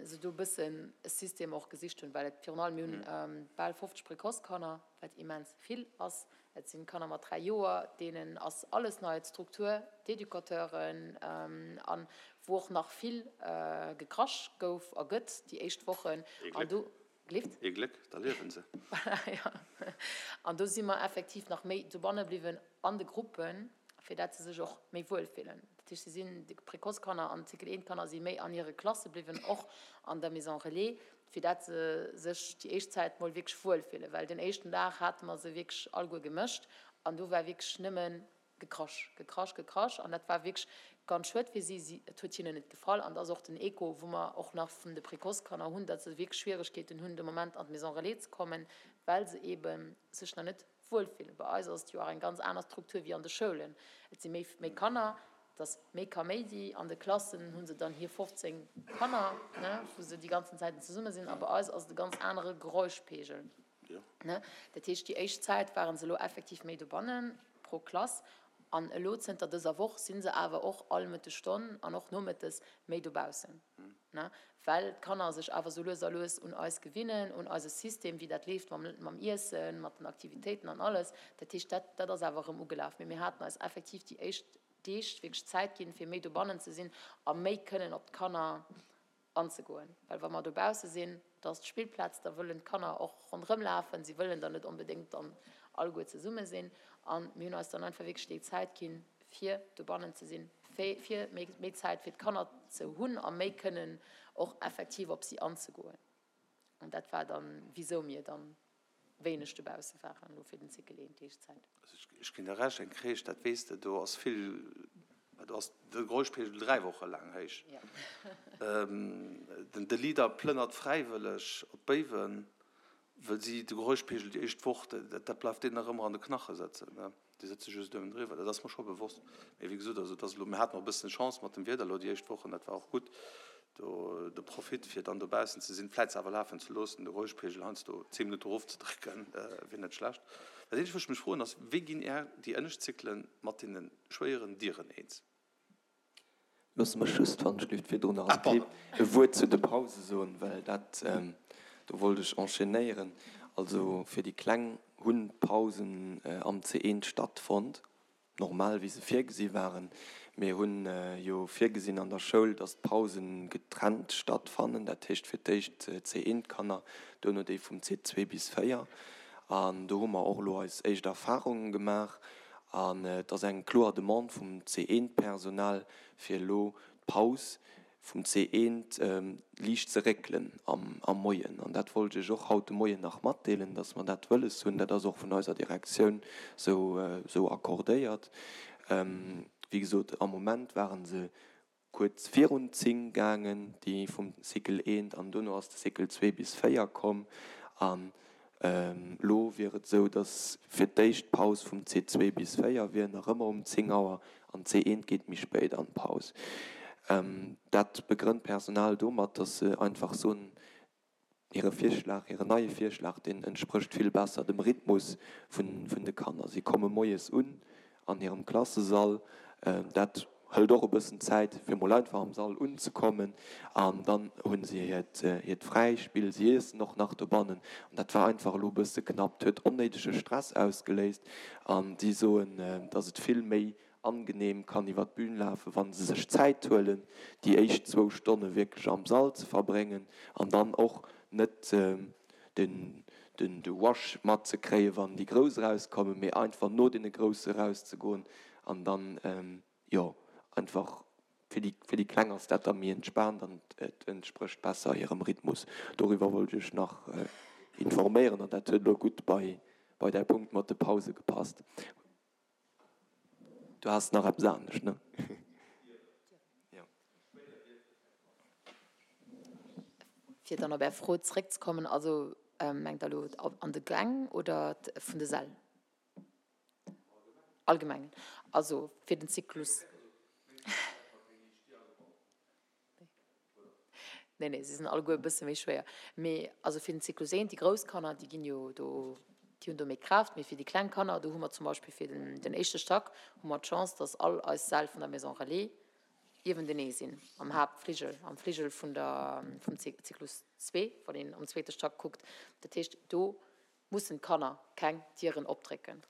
se do e bëssen e System och gesicht hunn, well et virun allem, mir hunn bal 50 Précoce-Kanner, wat immens vill ass. Et sinn Kanner mat 3 Joer, deenen ass alles nei, d'Struktur, d'Educateuren, an wou och nach vill gekrasch gouf a gëtt déi éischt Wochen. Ee Gléck. Gleeft? Ee Gléck, da liewen se. Voilà, jo. An do si mer effektiv nach méi dobanne bliwwen an de Gruppen, fir dat se sech och méi wuel fillen. Dat heescht, si sinn, déi Précoce-Kanner an d'Cycle 1 Kanner si méi an hire Klasse bliwwen, och an der Maison Relais, fir dat se sech déi éischt Zäit mol wierklech wuel fillen, well den éischten Dag hate mer se wierklech alleguer gemëscht an do war wierklech nëmme Gekrasch, Gekrasch, Gekrasch an dat war wierklech ganz schued fir si, si, et huet hinnen net gefall an et ass och den Echo, wou mer och nach vun de Précoce-Kanner hunn, datt se wierklech Schwieregkeeten hunn de Moment an d'Maison Relais ze kommen, well se eebe sech nach net wuel fillen. Bei eis ass et jo och eng ganz aner Struktur wéi an de Schoulen, et si méi, méi Kanner, Et ass méi Kaméidi. An de Klassen hu se dann hir 15 Kanner, ne, wou se déi ganzen Zäiten zesumme sinn. A bei eis ass et e ganz anere Geräuschpegel, ne. Dat heescht, déi éischt Zäit ware se elo effektiv méi dobannen pro Klass. An elo zënter dëser Woch si se awer och all Mëttesstonn an och nomëttes méi dobaussen. Ne, well d'Kanner sech awer sou lues a lues un eis gewinnen, un eise System, wéi dat leeft mam, mam Iessen, mat den Aktivitéiten an alles. Dat heescht, dat, dat ass awer erëm ugelaf. Mee mir haten eis effektiv déi éischt Deeg wierklech Zäit ginn, fir méi dobannen ze sinn a méi kënnen op d'Kanner anzegoen. Well wa mer dobausse sinn, da ass d'Spillplaz, da wëllen d'Kanner och ronderëm lafen, si wëllen dann net onbedéngt dann alleguer zesumme sinn. A mir hunn eis dann einfach wierklech déi Zäit ginn, fir dobannen ze sinn, fir méi Zäit fir d'Kanner ze hunn a méi kënnen och effektiv op si anzegoen. An dat war dann, wisou mir dann wéineg dobausse waren elo fir den Cycle 1 Deegzäit. Also ech ginn der Recht, eng Crèche, dat weess de, do ass vill, do ass de Geräuschpegel 3 Woche laang héich. De Leader plënnert fräiwëlleg op Béiwen, wëll si de Geräuschpegel déi éischt Woch, dat bleift deenen nach ëmmer an de Knache sëtzen. Déi sëtze just uewendriwwer. Dat ass mer scho bewosst. Mee wéi gesot, also et ass elo, mir haten och e bëssen Chance mat dem Wieder elo déi éischt Wochen, dat war och gutt. Do de Profit, fir dann dobaussen ze sinn, vläit se awer lafen ze loossen, de Geräuschpegel heiansdo 10 Minutte erofzedrécken, wier net schlecht. Dat eenzegt, wou ech mech froen, ass, Wéi ginn Är, déi ënnescht Zyklen mat deene schwéieren Dieren eens? Loosse mech just, wann ech dierft, virdrun nach e Wuert zu de Pause soen, well dat, do wollt ech enchaînéieren. Also fir déi Kleng hunn d'Pausen am C1 stattfonnt, normal wéi se virgesi waren. Mir hunn jo virgesinn an der Schoul, datt d'Pause getrennt stattfannen, dat heescht fir d'éischt d'C1-Kanner, duerno déi vum C2 bis 4. An do hu mer och elo eis éischt Erfarunge gemaach. An et ass eng kloer Demande vum C1-Personal, fir elo d'Paus vum C1 liicht ze réckelen am Moien. An dat wollt ech Iech och haut de Moien nach matdeelen, dass mer dat wëlles hunn. Dat ass och vun eiser Direktioun esou accordéiert. Wéi gesot, am Moment ware se kuerz virun 10 gaangen, déi vum Cycle 1, an dono ass de Cycle 2 bis 4 komm. An elo wier et esou, datt fir d'éischt d'Paus vum C2 bis 4 wier nach ëmmer um 10 Auer an C1 geet méi spéit an d'Paus. Dat begrënnt d'Personal domat, datt se einfach soen, Hire Virschlag, hiren neie Virschlag, deen entsprécht vill besser dem Rhythmus vun de Kanner. Si komme moies un an hirem Klassesall. Dat hëlt och e bëssen Zäit, fir mol einfach am Sall unzekommen. An dann hu si hiert Fräispill, si iessen och nach dobannen. An dat war einfach elo e bësse knapp. Et huet onnéidege Stress ausgeléist. An si soen, datt et vill méi angenehm kann iwwer d'Bühn lafen, wa se sech Zäit huelen, déi éischt zwou Stonne wierklech am Sall ze verbréngen an dann och net den de Rush matzekréien, wann déi Grouss erauskommen, mee einfach no deene Grousse erauszegoen an dann, jo, einfach fir déi fir déi Kleng ass dat da méi entspaant an et entsprécht besser hirem Rhythmus. Doriwwer wollt ech iech nach informéieren an dat huet elo gutt bei bei däi Punkt mat de Pause gepasst. Du has nach eppes anescht, ne? Jo. Fir dann op Är Fro zréckzekommen, also mengt Der elo an de Gäng oder vun de Säll? Allgemengen. Also fir den Zyklus. Nee, nee, si sinn alleguer e bësse méi schwéier. Mee also fir den Zyklus 1, déi grouss Kanner, déi ginn jo do, déi hunn do méi Kraaft. Mee fir déi kleng Kanner, do hu mer zum Beispill fir den, den éischte Stack hu mer d'Chance, dass all eis Säll vun der Maison Relais iewentenee sinn, am Haaptfligel, am Fligel vun der, vum Zyklus 2, wann een am zweete Stack kuckt. Dat heescht, do mussen d'Kanner keng Dieren opdrécken.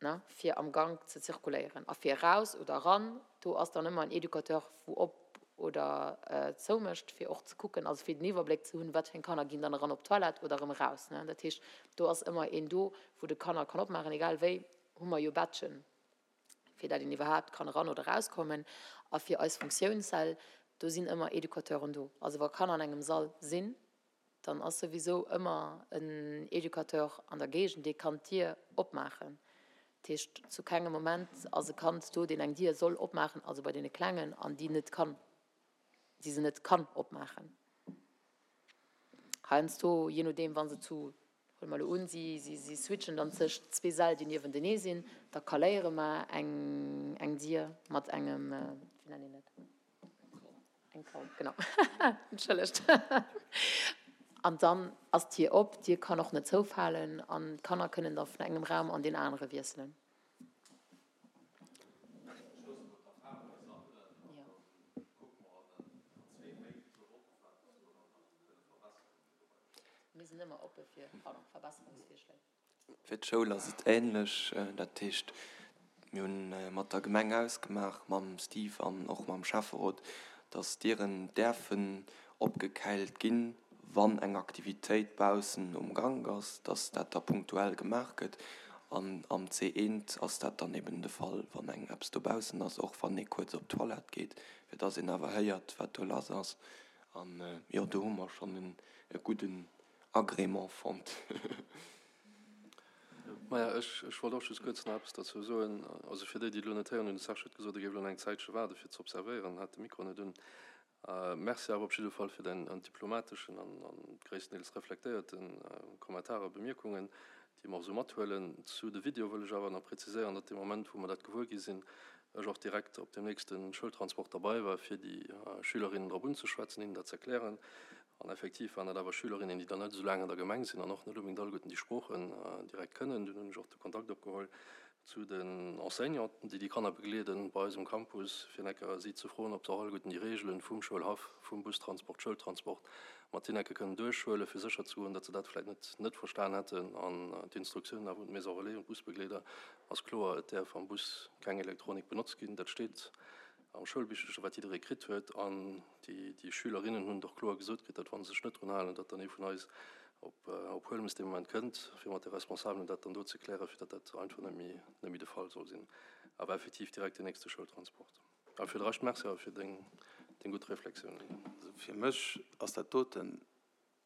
ne, fir am Gank ze zirkuléieren. A fir eraus oder eran, do ass dann ëmmer en Educateur, wou op oder zou mécht, fir och ze kucken, also fir den Iwwerbléck ze hunn, wat fir eng Kanner ginn dann eran op d'Toilette oder erëm eraus, ne. Dat heescht, do ass ëmmer een do, wou de Kanner kann opmaachen, egal wéi hu mer jo Badgen, fir dat een iwwerhaapt kann eran oder erauskommen. A fir eis Funktiounssäll, do sinn ëmmer Educateuren do. Also wa Kanner an engem Sall sinn, Dann ass souwisou ëmmer en Educateur an der Géigend, dee kann d'Dier opmaachen. Dat heescht, zu kengem Moment ass e Kand do, deen eng Dier soll opmaachen, also bei deene Klengen, an déi net kann, déi se net kann opmaachen. Heiansdo, jee nodeem, wa se zu, huele mer elo un, si, si switchen dann tëscht zwee Säll, déi niewentenee sinn, da kaléiere mer eng, eng Dier mat engem, wéi nennt een dat? Eng Kaul, genau. Entschëllegt. An dann ass d'Dier op, d'Dier kann och net zoufalen an d'Kanner kënnen da vun engem Raum an deen anere wiesselen. Mir sinn ëmmer oppe fir, pardon, Verbesserungsvirschléi. Fir d'Schoul ass et änlech. Dat heescht, mir hunn mat der Gemeng ausgemaach, mam Steve an och mam Schäfferot, datt d'Dieren däerfen opgekäilt ginn, wann eng Aktivitéit baussen um Gank ass, datt dat da punktuell gemaach gëtt. An am C1 ass dat dann eben de Fall, wann eng eppes dobaussen ass, och wann ee kuerz op d'Toilette geet, fir datt een awer héiert, wat do lass ass. An jo, do hu mer schonn e gudden Agrément fonnt. Maja, ech, ech wollt och just kuerz nach eppes derzou soen. Also fir déi, déi et elo net héieren hunn, de Serge huet gesot, e géif elo nach eng Zäitche waarde fir ze observéieren, hat de Mikro net un. Merci awer op jidde Fall fir däin diplomateschen an, an gréisstendeels reflektéierte Kommentar a Bemierkungen, déi mer och esou mathuelen. Zu de Videoe wëll ech awer nach präziséieren, datt dee Moment, wou mer dat gewuer gi sinn, ech och direkt op deem nächste Schoultransport derbei war, fir déi Schülerinnen drop unzeschwätzen, hinnen dat z'erklären. An effektiv waren dat awer Schülerinnen, déi dann net esou laang an der Gemeng sinn an och net onbedéngt alleguerten déi Sproochen direkt kënnen. Dunn hunn ech och de Kontakt opgeholl zu den Enseignanten, déi déi Kanner begleeden bei eis um Campus, fir enker si ze froen, ob se och alleguerten déi Reegelen vum Schoulhaff, vum Bustransport, Schoultransport mat hinne enke kënnen duerchhuelen, fir sécher ze goen, datt se dat vläicht net net verstan hätten. An d'Instruktiounen awer un d'Maison relais, un d'Busbegleeder ass kloer, Et däerf am Bus keng Elektronik benotzt ginn. Dat steet am Schoulbichercher, wat jidderee kritt huet. An déi Schülerinnen hunn et och kloer gesot kritt, datt wa se sech net drun halen, datt dann ee vun eis op Huelmes dee Moment kënnt, fir mat de Responsabelen dat dann do ze klären, fir datt dat einfach net méi, net méi de Fall soll sinn. Awer effektiv direkt deen nächste Schoultransport. A fir de Rescht Merci awer fir deng, deng gutt Reflexiounen. Also fir mech ass dat doten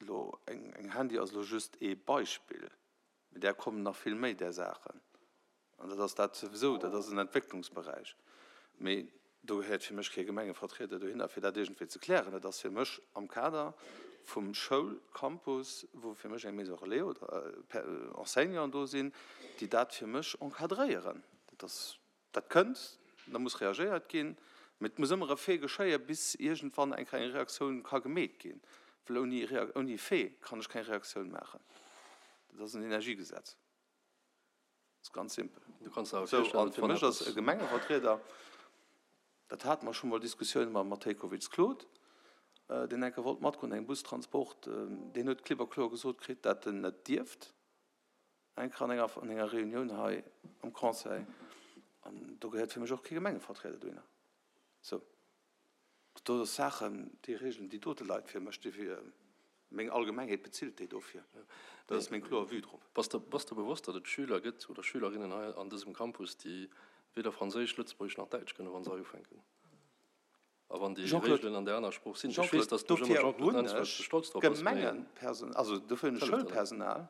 elo, eng Handy ass elo just ee Beispill, mee där kommen nach vill méi där Saachen. An dat ass dat souwisou, dat ass en Entwécklungsberäich. Mee do gehéiert fir mech kee Gemengevertrieder dohinner, fir dat iergendwéi ze klären. Dat ass fir mech am Kader vum Schoulcampus, wou fir mech eng Maison relais oder Enseignanten do sinn, déi dat fir mech encadréieren. Dat ass, dat kënnt, da muss reagéiert ginn. Mee et muss ëmmer e Fait geschéien, bis iergendwann eng kleng Reaktioun ka gemeet ginn. Well ouni, ouni Fait kann ech keng Reaktioun maachen. Dat ass en Energiegesetz. Dat ass ganz simpel. Du kanns der awer virstellen, datt wann eppes. Fir mech ass e Gemengevertrieder, dat hate mer scho mol Diskussioune mam Matejkowitz Claude, deen eng Kéier wollt matgoen an engem Bustransport, deen huet klipp a kloer gesot kritt, dat en net dierft, eng Kéier an enger, an enger Reunioun hei am Conseil. An do gehéiert fir mech och kee Gemengevertrieder dohinner. Sou. Do ass Saachen, déi regeln déi dote Leit fir mech, déi meng Allgemengheet bezilt déi dofir. Dat ass meng kloer Vue drop. Bass de bass de bewosst, datt et Schüler gëtt oder Schülerinnen hei an dësem Campus, déi weder Franséisch, Lëtzebuergesch nach Däitsch kënnen, wa se hei ufänken? A wann déi Regeln an där aner Sprooch sinn? Ech weess, datt du dofir hunn ech Gemengepersonal, also dofir hunn ech Schoulpersonal,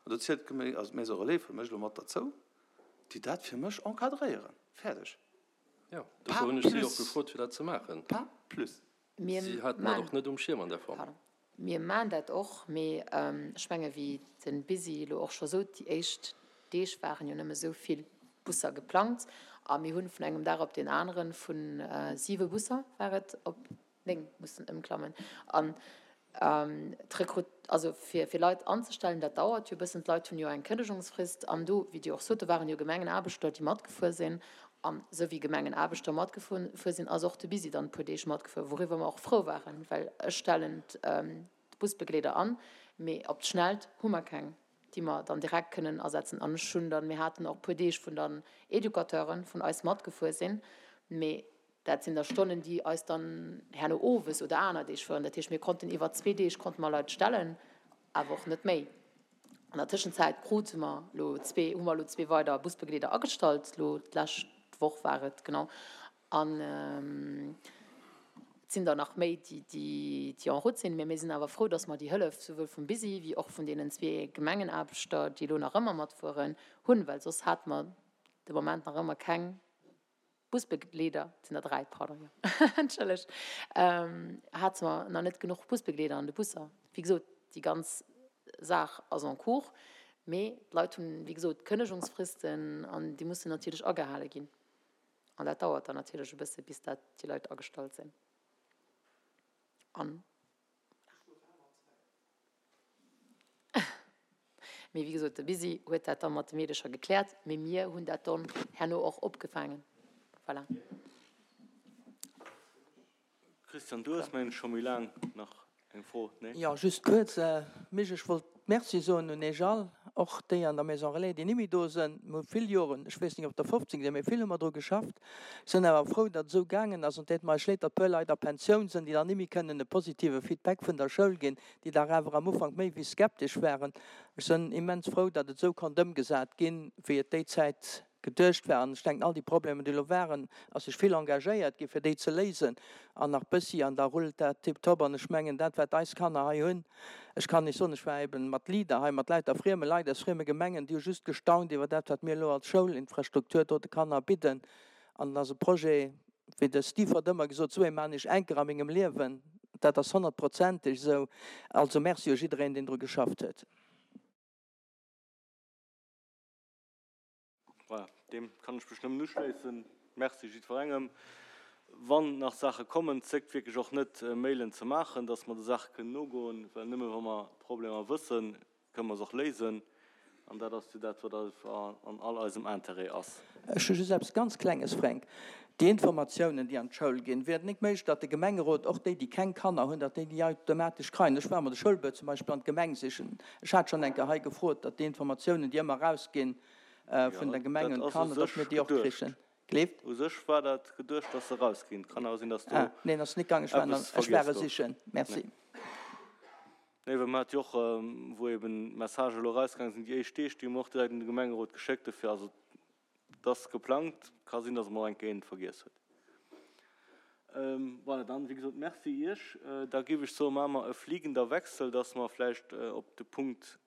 an do zielt d'Gemeng, also d'Maison Relais fir mech elo mat derzou, déi dat fir mech encadréieren. Fäerdeg. Jo, dofir hunn ech si och gefrot, fir dat ze maachen. Pas plus. Si haten dat och net um Schierm an där Form. Pardon. Mir maachen dat och, mee ech menge wéi de Bisi elo och scho sot, déi éischt Deeg waren jo nëmme esou vill Busser geplangt a mir hunn vun engem Dag op deen anere vu siwe Busser war et op 9 mussen ëmklammen an d'Rekrut, also fir fir Leit anzestellen, dat dauert jo e bëssen. D'Leit hunn jo eng Kënnegungsfrist an do, wéi Dir och sot, do waren jo Gemengenaarbechter, déi matgefuer sinn. An esou wéi Gemengenaarbechter matgefuer sinn, ass och de Bisi dann e puer Deeg matgefuer, wouriwwer mer och frou waren, well ech stellen d'Busbegleeder an, mee op d'Schnellt hu mer keng, déi mer dann direkt kënnen asetzen. An ech hunn dann, mir haten och e puer Deeg, wou dann Educateure vun eis matgefuer sinn, mee Dat sinn da Stonnen, déi eis dann herno owes oder aner Deeg fueren. Dat heescht, mir konnten iwwer zwee Deeg konnte mer Leit stellen, awer och net méi. An der Tëschenzäit krute mer elo zwee, hu mer elo zwee weider Busbegleeder agestallt, elo d'lescht Woch war et, genau. An et sinn der nach méi, déi, déi en route sinn. Mä mir sinn awer frou, dass mer déi Hëllef souwuel vum Bisi wéi och vun deenen zwee Gemengenaarbechter, déi elo nach ëmmer matfueren, hunn, well soss hate mer de Moment nach ëmmer keng Busbegleeder, et sinn der 3, pardon, jo, entschëllegt, hate mer nach net genuch Busbegleeder an de Busser. Wéi gesot, déi ganz Saach ass en cours, mee d'Leit hunn, wéi gesot, Kënnegungsfristen an déi mussen natierlech agehale ginn. An dat dauert dann natierlech e bësse bis dat déi Leit agestallt sinn. An. Mee wéi gesot, de Bisi huet dat da mat de Meedecher gekläert, mee mir hunn dat dann herno och opgefaangen. Voilà. Christian, du hues mengen ech scho méi laang nach eng Fro, nee? Jo, just kuerz, Misch, ech wollt. Merci soen un Iech all, och déi an der Maison Relais, déi nimmi do sënn. Mir hu vill Joren, ech weess nik ob der 15 sinn, mee vill hu mer dru geschafft. Sënn awer frou, datt et esou gaangen ass. An et deet mer eis leed, datt puer Leit a Pensioun sënn, déi dann nimmi kënnen e positive Feedback vun der Schoul ginn, déi dach awer am Ufank méi wéi skeptesch waren. Ech sënn immens frou, datt et esou konnt ëmgesat ginn, wéi et déi Zäit geduecht war. An ech denken, all déi Problemer, déi elo waren, ass sech vill engagéiert gi fir déi ze léisen an nach bëssi an da rullt dat tiptop. An ech mengen, dat wat eis Kanner hei hunn, ech kann lech soen, ech war eben mat Leader hei, mat lauter frieme Leit aus frieme Gemengen, déi hu just gestaunt iwwer dat, wat mir elo als Schoulinfrastruktur do de Kanner bidden. An et ass e Projet, wéi de Steve huet ëmmer gesot, esou ee maan ech enker a mengem Liewen. Dat ass honnertprozenteg esou. Also Merci u jiddereen, deen dru geschafft huet. Voilà, deem kann ech mech nëmmen uschléissen. Merci jiddwerengem. Wann nach Saache kommen, zéckt wierklech och net, Mailen ze maachen, dass mer de Saache kënnen nogoen, well nëmme wa mer d'Problemer wëssen, kënnen mer se och léisen. An dat ass jo dat, wat an all eisem Intérêt ass. Ech hu just eppes ganz Klenges, Fränk. Déi Informatiounen, déi an d'Schoul ginn, wier et nik méiglech, datt de Gemengerot, och déi, déi keng Kanner hunn, datt déi déi automatesch kreien? Ech war emol de Schoulbuet zum Beispill an d'Gemeng sichen. Ech hat schonn eng Kéier hei gefrot, datt déi Informatiounen, déi ëmmer erausginn, vun der Gemeng un d'Kanner, datt mir déi och krichen. Gleeft? U sech war dat geduecht, datt se erausginn. Kann awer sinn, datt do Ah, neen, ass nik gaangen. Ech war eppes ech war vergiess e gouf. sichen. Merci. Nee, well mer hate jo och, wou eben d'Messagë elo erausgaange sinn, déi éischt Deeg, déi hu mer och direkt un de Gemengerot geschéckt. Dofir, also et ass geplangt. Ka sinn, datt mer och eng Kéier eent vergiess huet. Voilà, dann, wéi gesot, Merci Iech. Da géif ech soen, maache mer e fliegender Wechsel, datt mer vläicht op de Punkt.